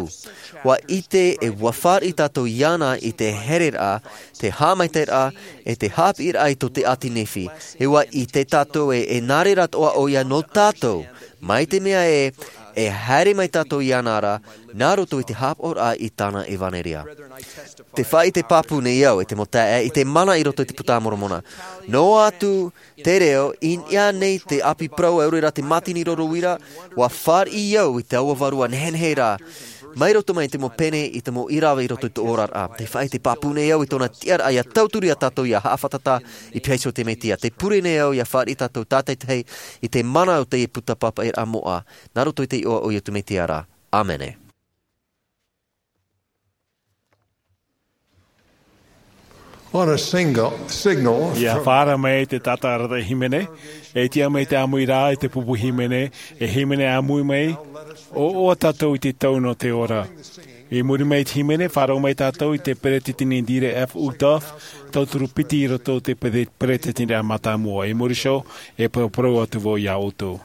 ʻUa ʻite e ʻua fāriʻi tātou iāna i te hereraʻa, te haʻamaitaʻiraʻa, e te haʻapiʻiraʻa i tō te ʻāti Nephi. E ʻua ʻite tātou e, e nā reira atoʻa ʻoia nō tātou. Mai te mea ē, e haere mai tātou iāna ra, nā roto i te haʻapaʻoraʻa i tāna ʻevanelia. Tē faʻaʻite pāpū nei au e te mau taeaʻe i te mana i roto i te Puta Moromona. Noa atu te reo, i niʻa nei te ʻāpī parau, ʻaore rā te mātini roro uira, ʻua fāriʻi au i taua vārua nehenehe ra, mai roto mai i te mau pene, i te mau ʻīrava i roto i tō oraraʻa. Tē faʻaʻite pāpū nei au i tōna tiʻaraʻa ia tauturu ia tātou ia haʻafātata i pīhaʻi iho i te Mesia. Tē pure nei au ia fāriʻi tātou tātaʻitahi i te mana o te puta pāpaʻiraʻa moʻa, nā roto i te iʻoa o Iesu Mesia ra. ʻĀmene. On a single, signal. Ia fārerei mai te taʻata arataʻi hīmene, e tiʻa mai te ʻāmui ra i te pupu hīmene, e hīmene ʻāmui mai, ʻoaʻoa tātou i te tau nō te ora. I muri mai i te hīmene, faʻaroʻo mai tātou i te Peresideni Dieter F. Uchtdorf, tauturu piti i roto i te pere-, Peresideni a Mātamua. I muri iho, e paraparau atu vau ia ʻoutou.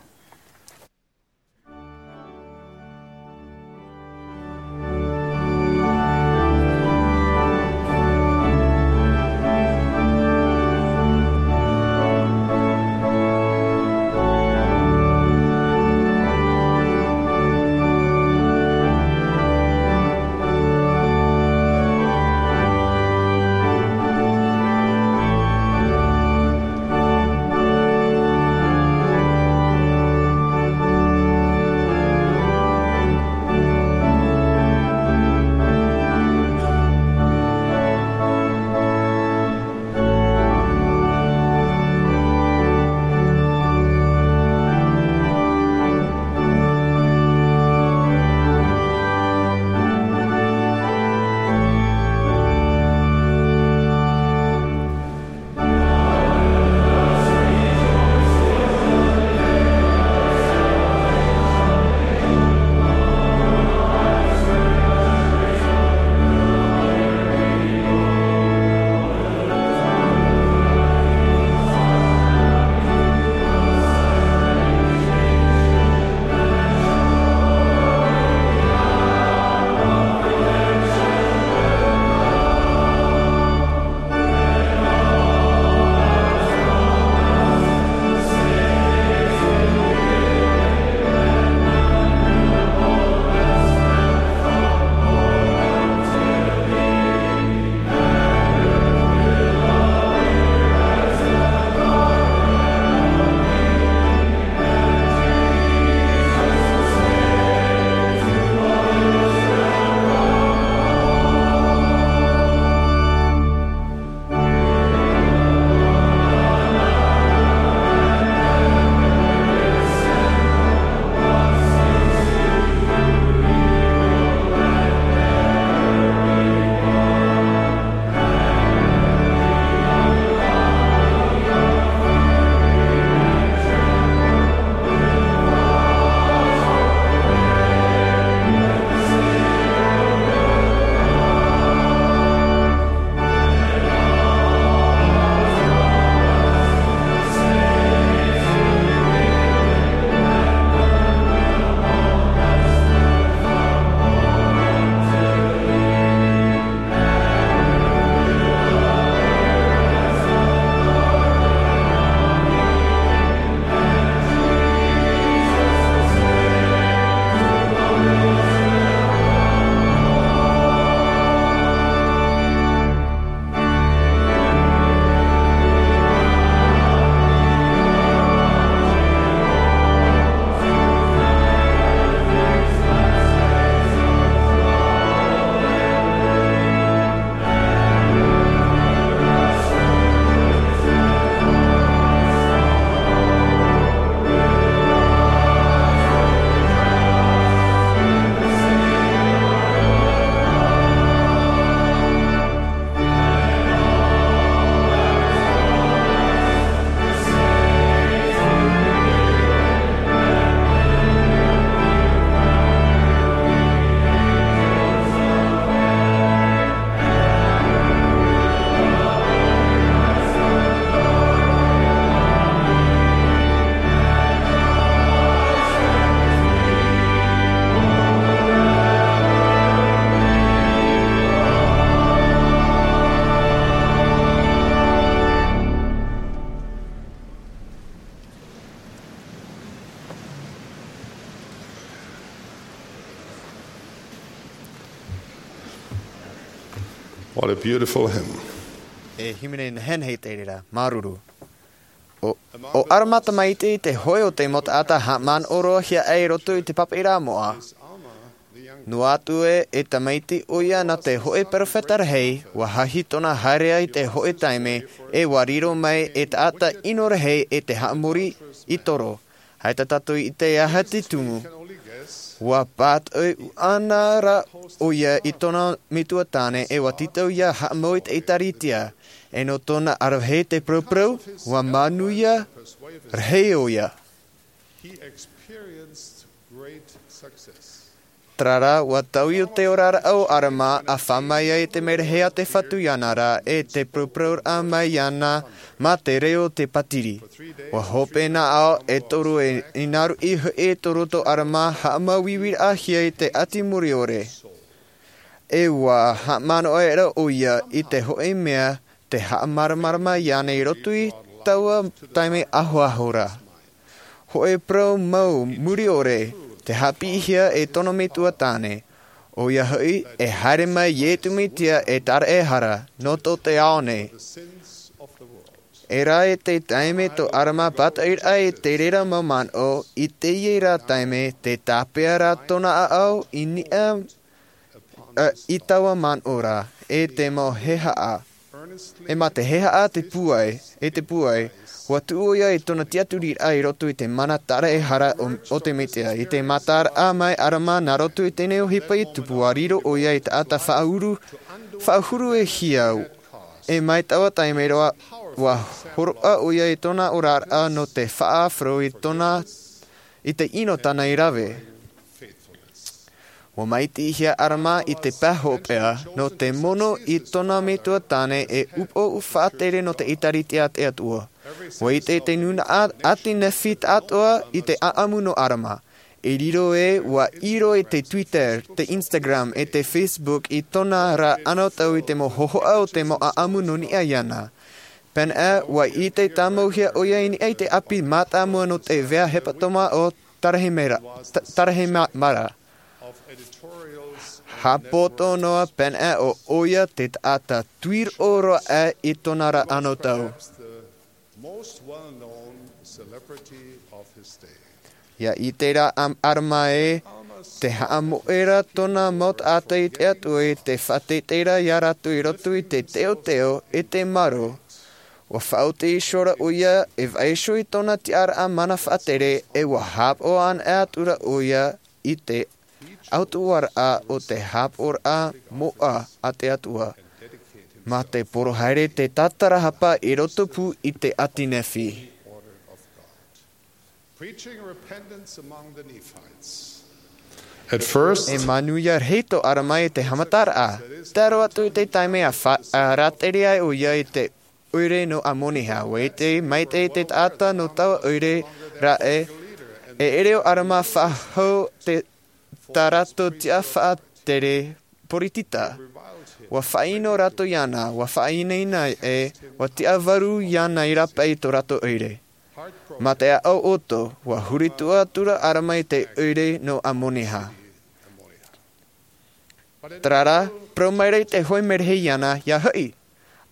What a beautiful hymn. E hīmene nehenehe te reira, māuruuru. ʻO, ʻo Arama tamaiti te hōʻē o te mau taʻata haʻamanaʻo roa hia ai i roto i te pāpaʻiraʻa moʻa. Noa atu ē, e tamaiti ʻoia nā te hōʻē perofeta rahi, ʻua hahi tōna haereʻa i te hōʻē taime, ʻe ʻua riro mai e taʻata ʻino rahi e te haʻamori i toro. ʻAita tātou i ʻite aha te tumu. ʻUa pātoʻi ʻana rā ʻoia i tōna metua tāne ʻe ʻua tītau ʻia haʻamau i te ʻĒtārētia. ʻE nō tōna ʻaravihi te purupuruʻa, ʻua manuia rahi ʻoia. He experienced great success. Terā rā, ʻua taui ʻo te oraraʻa o Arama ʻa fā mai ai te merahi a te Fatu iāna ra ʻe te purupuruʻa mai iāna mā te reo o te pātiri. ʻUa hope nā ʻāʻau e toru e ʻinaruʻi hoʻi e toru tō Arama haʻamāuiuiraʻahia i te ʻati muriʻore. ʻE ʻua haʻamanaʻo aʻera ʻoia i te hōʻē mea te haʻamāramarama iāna i roto i taua taime ahoaho ra. Hōʻē parau mau muriʻore te haʻapiʻihia e tōna metua tāne. ʻOia hoʻi, e haere mai Iesu Mesia e taraehara nō tō te ao nei. E rā e te taime tō Arama pātoʻiraʻa i te reira mau manaʻo, i teie rā taime te tāpeʻa rā tōna ʻāʻau i niʻa ā, i taua manaʻo ra, e te mau hehaʻa. ʻE mā te hehaʻa te pūai, e te pūai, ʻua tuʻu ʻoia i tōna tiʻaturiraʻa i roto i te mana taraehara o, o te Mesia, i te mataraʻa mai Arama nā roto i teie nei ʻohipa i tupu ʻua riro ʻoia i te taʻata faʻahuru, faʻahuru e hiau. ʻE mai taua taime roa, ʻua hōroʻa ʻoia i tōna oraraʻa nō te faʻaʻāfaro i tōna, i te ʻino tāna i rave. ʻUa maitihia Arama i te pae hopeʻa, nō te mono i tōna metua tāne e upoʻo faʻatere nō te ʻĒtārētia a te Atua. ʻUa ʻite te nūnaʻa ʻati nehenehe tāʻatoʻa i te ʻāʻamu nō Arama. E riro ē, ʻua ʻiro i te Twitter, te Instagram, ʻe te Facebook i tōna ra anotau i te mau hōhoʻa o te mau ʻāʻamu nō niʻa iāna. Pēneiaʻe, ʻua ʻite tāmauhia ʻoia i niʻa i te ʻapi mātāmua nō te vea hepetoma o Tarahemara, Ta-, Tarahemara. Haʻapoto noa pēneiaʻe ʻo ʻoia te taʻata tuiroʻo roa aʻe i tōna ra anotau. ʻIa ʻite rā Arama ē, te haʻamoʻe ra tōna mau taʻata i te Atua i te faʻateitei ra iā rātou i roto i te teoteo ʻe te marō. ʻUa faʻaoti iho ra ʻoia e vaiiho i tōna tiʻaraʻa mana faʻatere ʻe ʻua haʻapaʻo anaʻe atu ra ʻoia i te ʻautuaraʻa o te haʻapaʻoraʻa moʻa a te Atua. Mā te poro haere te tātarahapa i roto pū i te ʻati nehenehe. Preaching repentance among the Nephites. At first, e manuia rahi tō Arama i te haʻamataraʻa. Tae roa atu i te taime a fa-, a rātere ai ʻoia i te ʻoire nō Amoneha, ʻua ʻite maitaʻi te taʻata nō taua ʻoire ra ʻe, e ʻere ʻo Arama faʻahou te, tā rātou tiʻa faʻatere poritita. ʻUa faʻaʻino rātou iāna, ʻua faʻainaina ʻe, ʻua tiʻavaru iāna i rāpae i tō rātou ʻoire. Mā te ʻāʻau ʻoto, ʻua huri tuʻa atura Arama i te ʻoire nō Amoneha. Terā rā, parau mai ra i te hōʻē merahi iāna, ʻia hoʻi.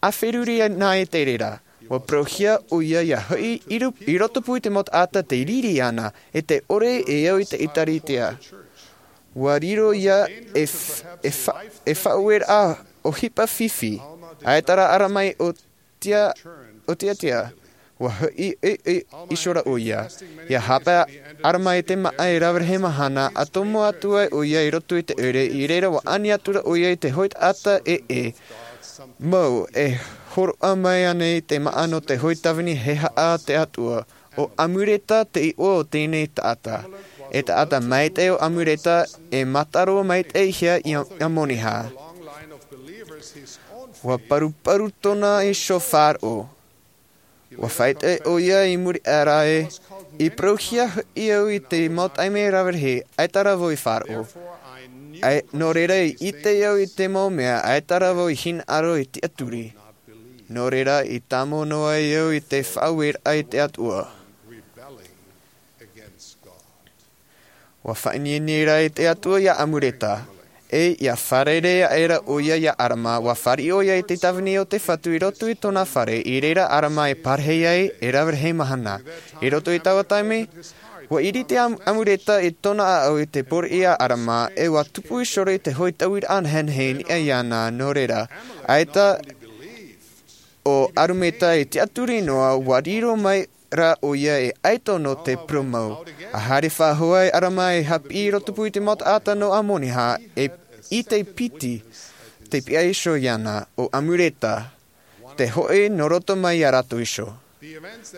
ʻA feruri na i te reira, ʻua parauhia ʻoia ʻia hoʻi i ru-, i roto pū i te mau taʻata tē riri ana, ʻe tē ʻore e au i te ʻĒtārētia. ʻUa riro ïa e f-, e fa-, e faʻaueraʻa ʻohipa fifi, ʻaita rā Arama i ʻō tia, ʻō tiatia, ʻua hoʻi, e, e, iho ra ʻoia. ʻIa haʻapae Arama i te māʻa e rave rahi mahana, ʻa tomo atu ai ʻoia i roto i te ʻoire, i reira ʻua ani atu ra ʻoia i te hōʻē taʻata ʻē, ʻē. Mau, e hōroʻa mai ānei te māʻa nō te hōʻē tāvini hehaʻa a te Atua? ʻO Amuleka te iʻoa o teie taʻata. E taʻata maitaʻi ʻo Amuleka, e mata roa maitaʻihia ia, ia Amoneha. ʻUa paruparu tōna iho faʻaroʻo. ʻUa faʻaʻite ʻoia i muri aʻe ra ē, i parauhia hoʻi au i te mau taime rave rahi, ʻaita rā vau i faʻaroʻo. ʻAe, nō reira i ʻite au i te mau mea, ʻaita rā vau i hinaʻaro i tiʻaturi. Nō reira i tāmau noa ai au i te faʻaueraʻa i te Atua. ʻUa faʻaineine ra i te Atua ia Amuleka, E ia fārerei aʻera ʻo ia iā ʻArama, ua fāriʻi ʻo ia i te tāvini o te Fatu i roto i tōna fare, i reira ʻArama e pārahi ai e rave rahi mahana. I roto i taua taime, ua ʻiriti ʻa Amureta i tōna ʻāʻau i te pōriʻi iā ʻArama, e ua tupu iho roa i te hoʻi tauiraʻa nehenehe i niʻa iāna, nō reira, ʻaita ʻo Arumeta i tiʻaturi noa, ua riro mai rā ʻo ia e ʻaito nō te purōmu. A haere faʻahou ai ʻArama e haʻapiʻi i rotopū i te mau taʻata nō Amoreha, e, i te piti, te piʻa iho iāna, ʻo Amureta, te hoʻi nō roto mai iā rātou iho.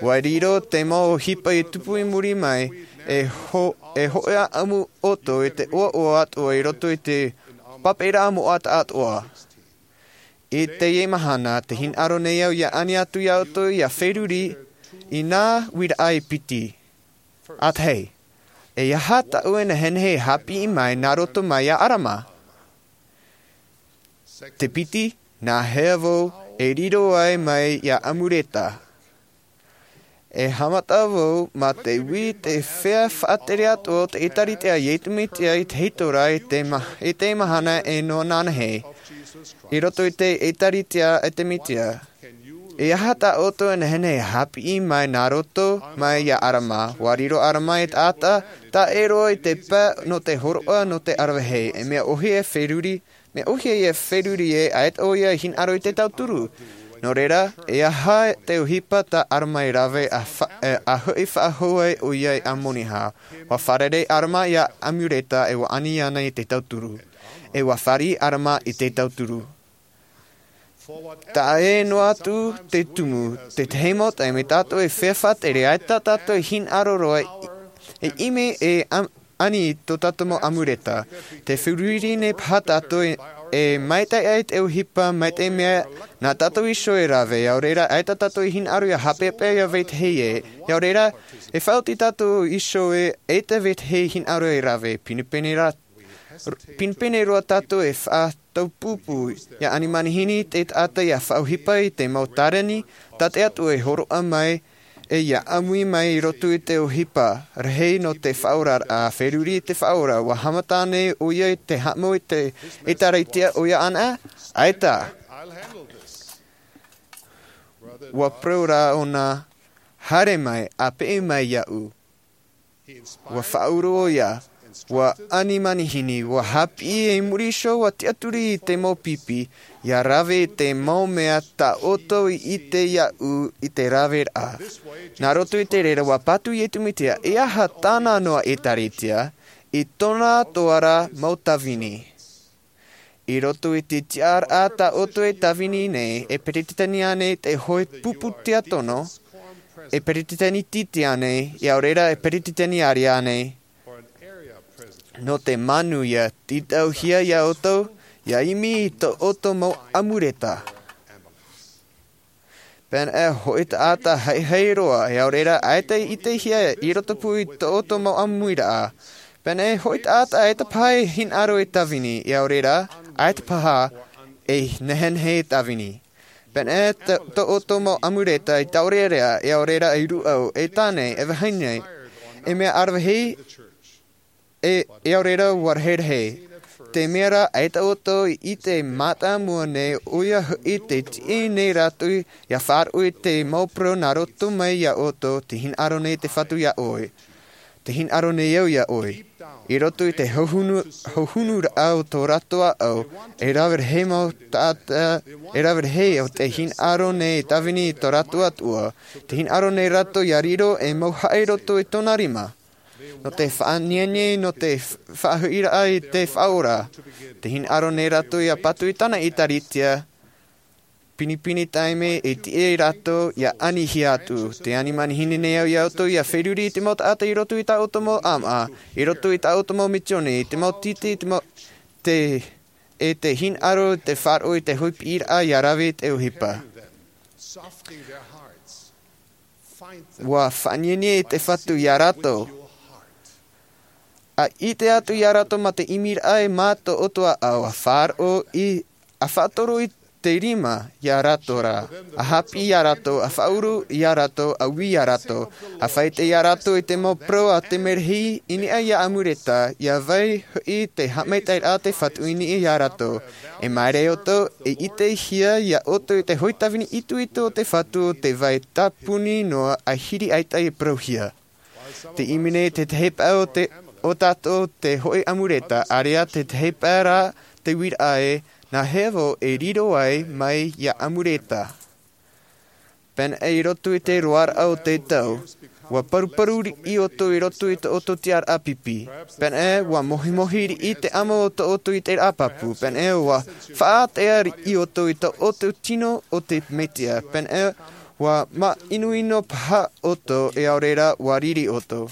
Ua riro te mau ʻohipa i tupu i muri mai, e ho-, e hoʻi ʻaʻamu ʻoutou i te ʻoaʻoa atoʻa i roto i te pāpaʻiraʻa moʻa atoʻa. I teie mahana, tē hinaʻaro nei au ia ani atu iā ʻoutou ia feruri i nā uiraʻa e piti. ʻA tahi, e aha tā ʻoe e nehenehe e haʻapiʻi mai nā roto mai iā ʻArama? Te piti, nā hea vau e riro ai mai iā Amureta? E haʻamata vau mā te ui te feiā faʻatere atoʻa o te ʻĒtārētia a Iesu Mesia i te hiʻoraʻa i te ma-, i te mahana e noa ananahi. I roto i te ʻĒtārētia a te Mesia. E aha tā ʻoutou e nehenehe e haʻapiʻi mai nā roto mai iā ʻArama? Ua riro ʻArama ei taʻata, taʻa ʻē roa i te pae nō te hōroʻa nō te ʻaravihi, e mea ʻōhie e feruri, mea ʻōhie ia feruri ē, ʻaita ʻo ia e hinaʻaro i te tauturu. Nō reira, e aha te ʻohipa tā ʻArama i rave a fa-, e, a hoʻi faʻahou ai ʻo ia i Amoreha? Ua fārerei ʻArama iā Amureta e ua ani iāna i te tauturu. E ua fāriʻi ʻArama i te tauturu. Taʻa ʻē noa atu te tumu, te tahi mau taime tātou e feiā faʻatere, ʻaita tātou e hinaʻaro roa i, e ʻimi e am-, ani i tō tātou mau Amureta. Te feruri nei paha tātou e, e maitaʻi ai te ʻohipa, maitaʻi mea nā tātou iho e rave, ʻaore rā, ʻaita tātou e hinaʻaro ia haʻapeʻapeʻa ia vetahi ē, ʻaore rā, e faʻaoti tātou iho ē, ʻaita vetahi e hinaʻaro e rave, pinepine rā, pinepine roa tātou e faʻa- taupupu, ia ani manihini te taʻata ia faʻaʻohipa i te mau tāreni, tā te Atua e hōroʻa mai, e ia ʻāmui mai i roto i te ʻohipa, rahi nō te faʻaoraraʻa, feruri i te faʻaora, ua haʻamata nei ʻo ia i te haʻamau i te ʻĒtārētia ʻoia anaʻe, ʻaita. Ua parau rā ʻōna, haere mai, ʻa peʻe mai iāʻu. Ua faʻaʻuru ʻo ia, ua ani manihini, ua haʻapiʻi i muri iho, ua tiʻaturi i te mau pipi, ia rave i te mau mea tā ʻoutou i ʻite iāʻu i te raveraʻa. Nā roto i te reira, ua patu Iesu Mesia, e aha tāna noa ʻĒtārētia, i tōna atoʻa ra mau tāvini. I roto i te tiʻaraʻa tā ʻoutou e tāvini nei, e peretiteni ānei te hoʻi pupu tiakono, e peretiteni tītī ānei, ʻaore rā e peretiteni ʻārea ānei, nō te manuia tītauhia iā ʻoutou, ia ʻimi i tō ʻoutou mau Amureta. Pēnei e hoʻi taʻata haihai roa, ʻaore rā, ʻaita i ʻitehia i rotopū i tō ʻoutou mau ʻāmuiraʻa. Pēnei e hoʻi taʻata ʻaita paha e hinaʻaro e tāvini, ʻaore rā, ʻaita paha e nehenehe e tāvini. Pēnei e tō, tō ʻoutou mau Amureta i tāʻoreʻorea, ʻaore rā, e rūʻau, e tāne, e vahine, e mea ʻaravihi, e, ʻaore rā ua rahirahi. Te mea rā, ʻaita ʻoutou i ʻite mātāmua nei, ʻoia hoʻi te tiʻi nei rātou, ia faʻaroʻo i te mau parau nā roto mai iā ʻoutou, tē hinaʻaro nei te Fatu iā ʻoe. Tē hinaʻaro nei au iā ʻoe. I roto i te hauhunu, hauhunuraʻa o tō rātou ʻāʻau, e rave rahi mau taʻata, e rave rahi ʻo tē hinaʻaro nei e tāvini i tō rātou Atua, tē hinaʻaro nei rātou ia riro ei mauhaʻa i roto i tōna rima. Nō te faʻaniani, nō te faʻahuiraʻa i te Faʻaora. Tē hinaʻaro nei rātou ia patu i tāna ʻĒtārētia, pinepine taime e tiʻa rātou ia anihia atu. Tē ani manihini nei au iā ʻoutou ia feruri i te mau taʻata i roto i tā ʻoutou mau ʻāmaʻa, i roto i tā ʻoutou mau misiōni, i te mau tītī, i te mau, te, e tē hinaʻaro te faʻaroʻo i te hoʻi piʻiraʻa ia rave i te ʻohipa. Ua faʻaniani te Fatu iā rātou. ʻA ʻite atu iā rātou mā te ʻimiraʻa e mā tō ʻoutou ʻāʻau, ʻa faʻaroʻo i, ʻa faʻatoro i te rima iā rātou ra, a hāpiʻi iā rātou, a faʻauru iā rātou, a ui iā rātou, a faʻaite iā rātou i te mau parau a te merahi i niʻa iā Amureta, ia vai hoʻi te haʻamaitaʻiraʻa a te Fatu i niʻa iā rātou. E māere ʻoutou, e ʻitehia iā ʻoutou i te hōʻē tāvini itoito o te Fatu, te vai tāpuni noa a hiri ʻaita i parauhia. Te ʻimene te tahi pae o te, o tātou te hōʻē Amureta, area te tahi pae rā te uiraʻa e, nā hea vau e riro ai mai iā Amureta. Pēnei i roto i te roaraʻa o te tau, ua paruparu riʻi ʻoutou i roto i tō ʻoutou tiʻaraʻa pipi. Pēnei ua mohimohi riʻi te ʻamo o tō ʻoutou ʻiteraʻa pāpū. Pēnei ua faʻatea riʻi ʻoutou i tō ʻoutou tino o te Mesia. Pēnei ua māʻinoʻino paha ʻoutou e ʻaore rā ua riri ʻoutou.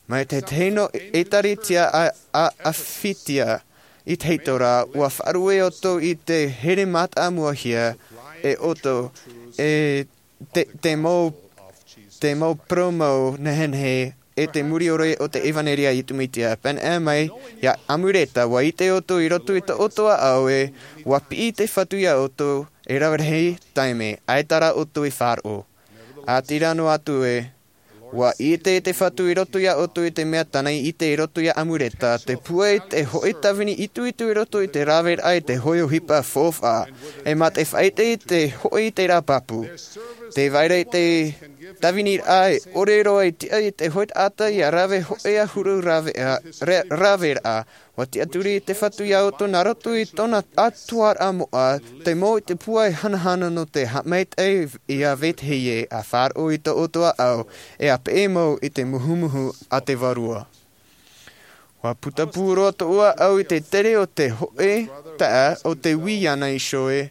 Mai te tahi noa ʻētārētia a, a, a fitia i te heitōrā, ua faʻaruʻe ʻoutou i te here mātāmuahia e ʻoutou, e te, te mau, te mau parau mau nehenehe, e te muriʻore o te ʻevanelia a Iesu Mesia. Pēnei mai iā Amureta, ua ʻite ʻoutou i roto i tō ʻoutou ʻāʻau e, ua piʻi te Fatu iā ʻoutou, e rave rahi taime, ʻaita rā ʻoutou i faʻaroʻo. ʻĀtīrā noa atu e, ua ʻite te Fatu i roto iā ʻoutou i te mea tāna i ʻite i roto iā Amureta, te pūai te hōʻē tāvini itoito i roto i te raveraʻa i te hōʻē ʻohipa faufaʻa. E mā te faʻaite i te hōʻē ʻiteraʻa pāpū. Tē vai ra i te tāviniraʻa e ʻore roa i tiʻa i te hōʻē taʻata ia rave hōʻē ʻahuru raveraʻa, re-, raveraʻa. Ua tiʻaturi te Fatu iā ʻoutou nā roto i tōna ʻatuaraʻa moʻa, te mau i te pūai hanahana nō te haʻamaitaʻi ia vetahi ē, a faʻaroʻo i tō ʻoutou ʻāʻau, e a peʻe mau i te muhumuhu a te Vārua. Ua putapū roa tōʻu ʻāʻau i te tere o te hōʻē taʻata o te ui iāna iho e,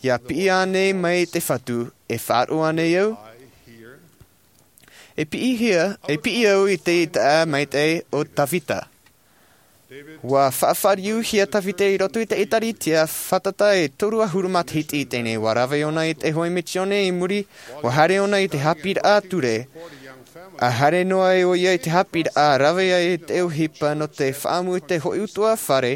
ia piʻi ānei mai te Fatu, e faʻaroʻo ānei au? E piʻihia, e piʻi au i te taʻata maitaʻi o Tavita. Ua faʻafāriuhia Tavita i roto i te ʻĒtārētia fātata e toru ʻahuru matahiti i teie nei. Ua rave ʻōna i te hōʻē misiōni i muri, ua haere ʻōna i te haʻapiʻiraʻa ture. A haere noa ai ʻoia i te haʻapiʻiraʻa, rave ai i te ʻohipa nō te faʻaʻamu i te hōʻē ʻutuāfare,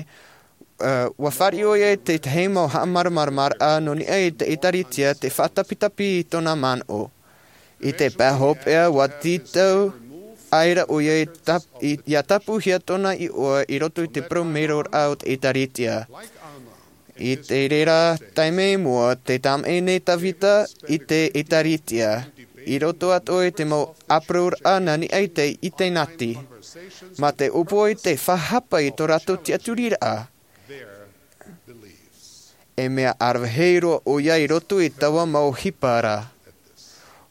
ā, ua fāriʻi ʻoia i te tahi mau haʻamāramaramaraʻa nō niʻa i te ʻĒtārētia, te faʻatapitapi i tōna manaʻo. I te pae hopeʻa, ua tītau aʻera ʻoia i tap-, i, ia tāpūhia tōna iʻoa i roto i te parau meroraʻa o te ʻĒtārētia. I te reira taime i mua, tē tāmaʻi nei Tavita i te ʻĒtārētia, i roto atoʻa i te mau ʻāparauraʻa nā niʻa i te ʻitehia. Mā te ʻōpua i te faʻahapa i tō rātou tiʻaturiraʻa. E mea ʻaravihi roa ʻoia i roto i taua mau ʻohipa ra.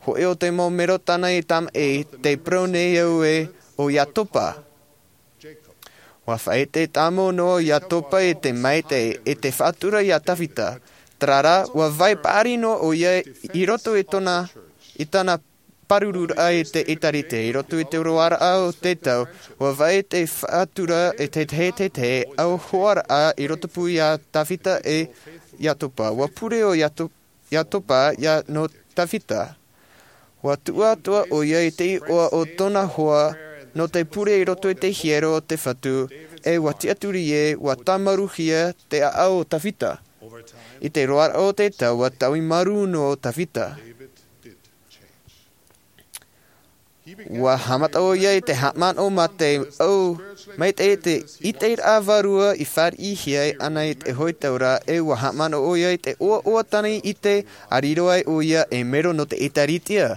Hōʻē o te mau mero tāna i tāmaʻi, tē parau nei au ē, ʻo Iatopa. Ua faʻaʻite tāmau noa Iatopa i te maitaʻi, i te faʻatura iā Tavita. Terā rā, ua vai paʻari noa ʻoia i roto i tōna, i tāna pārururaʻa i te ʻĒtārētia. I roto i te roaraʻa o te tau, ua vai te faʻatura e te, te, te, te au hoaraʻa i rotopū iā Tavita e Iatopa. Ua pure ʻo Iato-, Iatopa ia nō Tavita. Ua tuʻu atoʻa ʻoia i te iʻoa o tōna hoa nō te pure i roto i te hiero o te Fatu, e ua tiʻaturi ē, ua tāmaruhia te ʻāʻau o Tavita. I te roaraʻa o te tau, ua taui marū noa Tavita. Ua haʻamata ʻoia i te haʻamanaʻo mā te au, mai te, te ʻiteraʻa vārua i fāriʻihia ana i te hōʻē tau ra, e ua haʻamanaʻo ʻoia i te ʻoaʻoa tāna i ʻite, a riro ai ʻoia ei mero nō te ʻĒtārētia.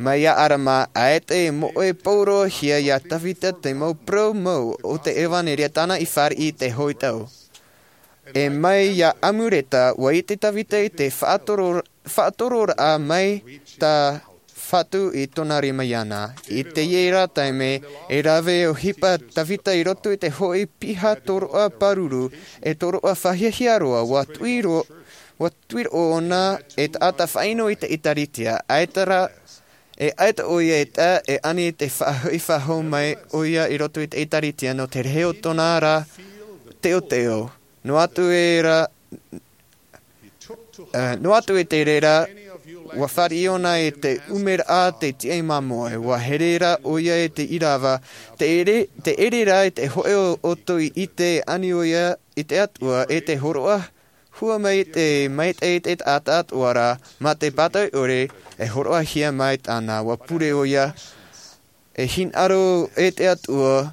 Mai iā ʻArama, ʻaita i moʻe pauroahia iā Tavita te mau parau mau o te ʻevanelia tāna i fāriʻi i te hōʻē tau. E mai iā Amureta, ua ʻite Tavita i te faʻatoro-, faʻatororaʻa mai tā Fatu i tōna rima iāna. I teie rā taime, e rave ʻohipa Tavita i roto i te hōʻē piha tōroʻa pāruru, e tōroʻa fāhiahia roa, ua tuʻi ro-, ua tuʻi roa ʻōna e taʻata faʻaʻino i te ʻĒtārētia, ʻaita rā, e ʻaita ʻoia e tae, e ani te faʻahoʻi faʻahou mai ʻoia i roto i te ʻĒtārētia nō te rahi o tōna ra teoteo. Noa atu e rā, ā, noa atu i te reira, ua fāriʻi ʻōna i te ʻumeraʻa te tiʻa i māmoe, ua here rā ʻoia i te ʻīrava, tē ʻere, tē ʻere rā i te hōʻē o ʻoutou i ʻite ani ʻoia i te Atua, e te hōroʻa hua mai te maitaʻi i te taʻata atoʻa ra, mā te pātoʻi ʻore, e hōroʻahia mai tāna, ʻua pure ʻoia, e hinaʻaro e te Atua,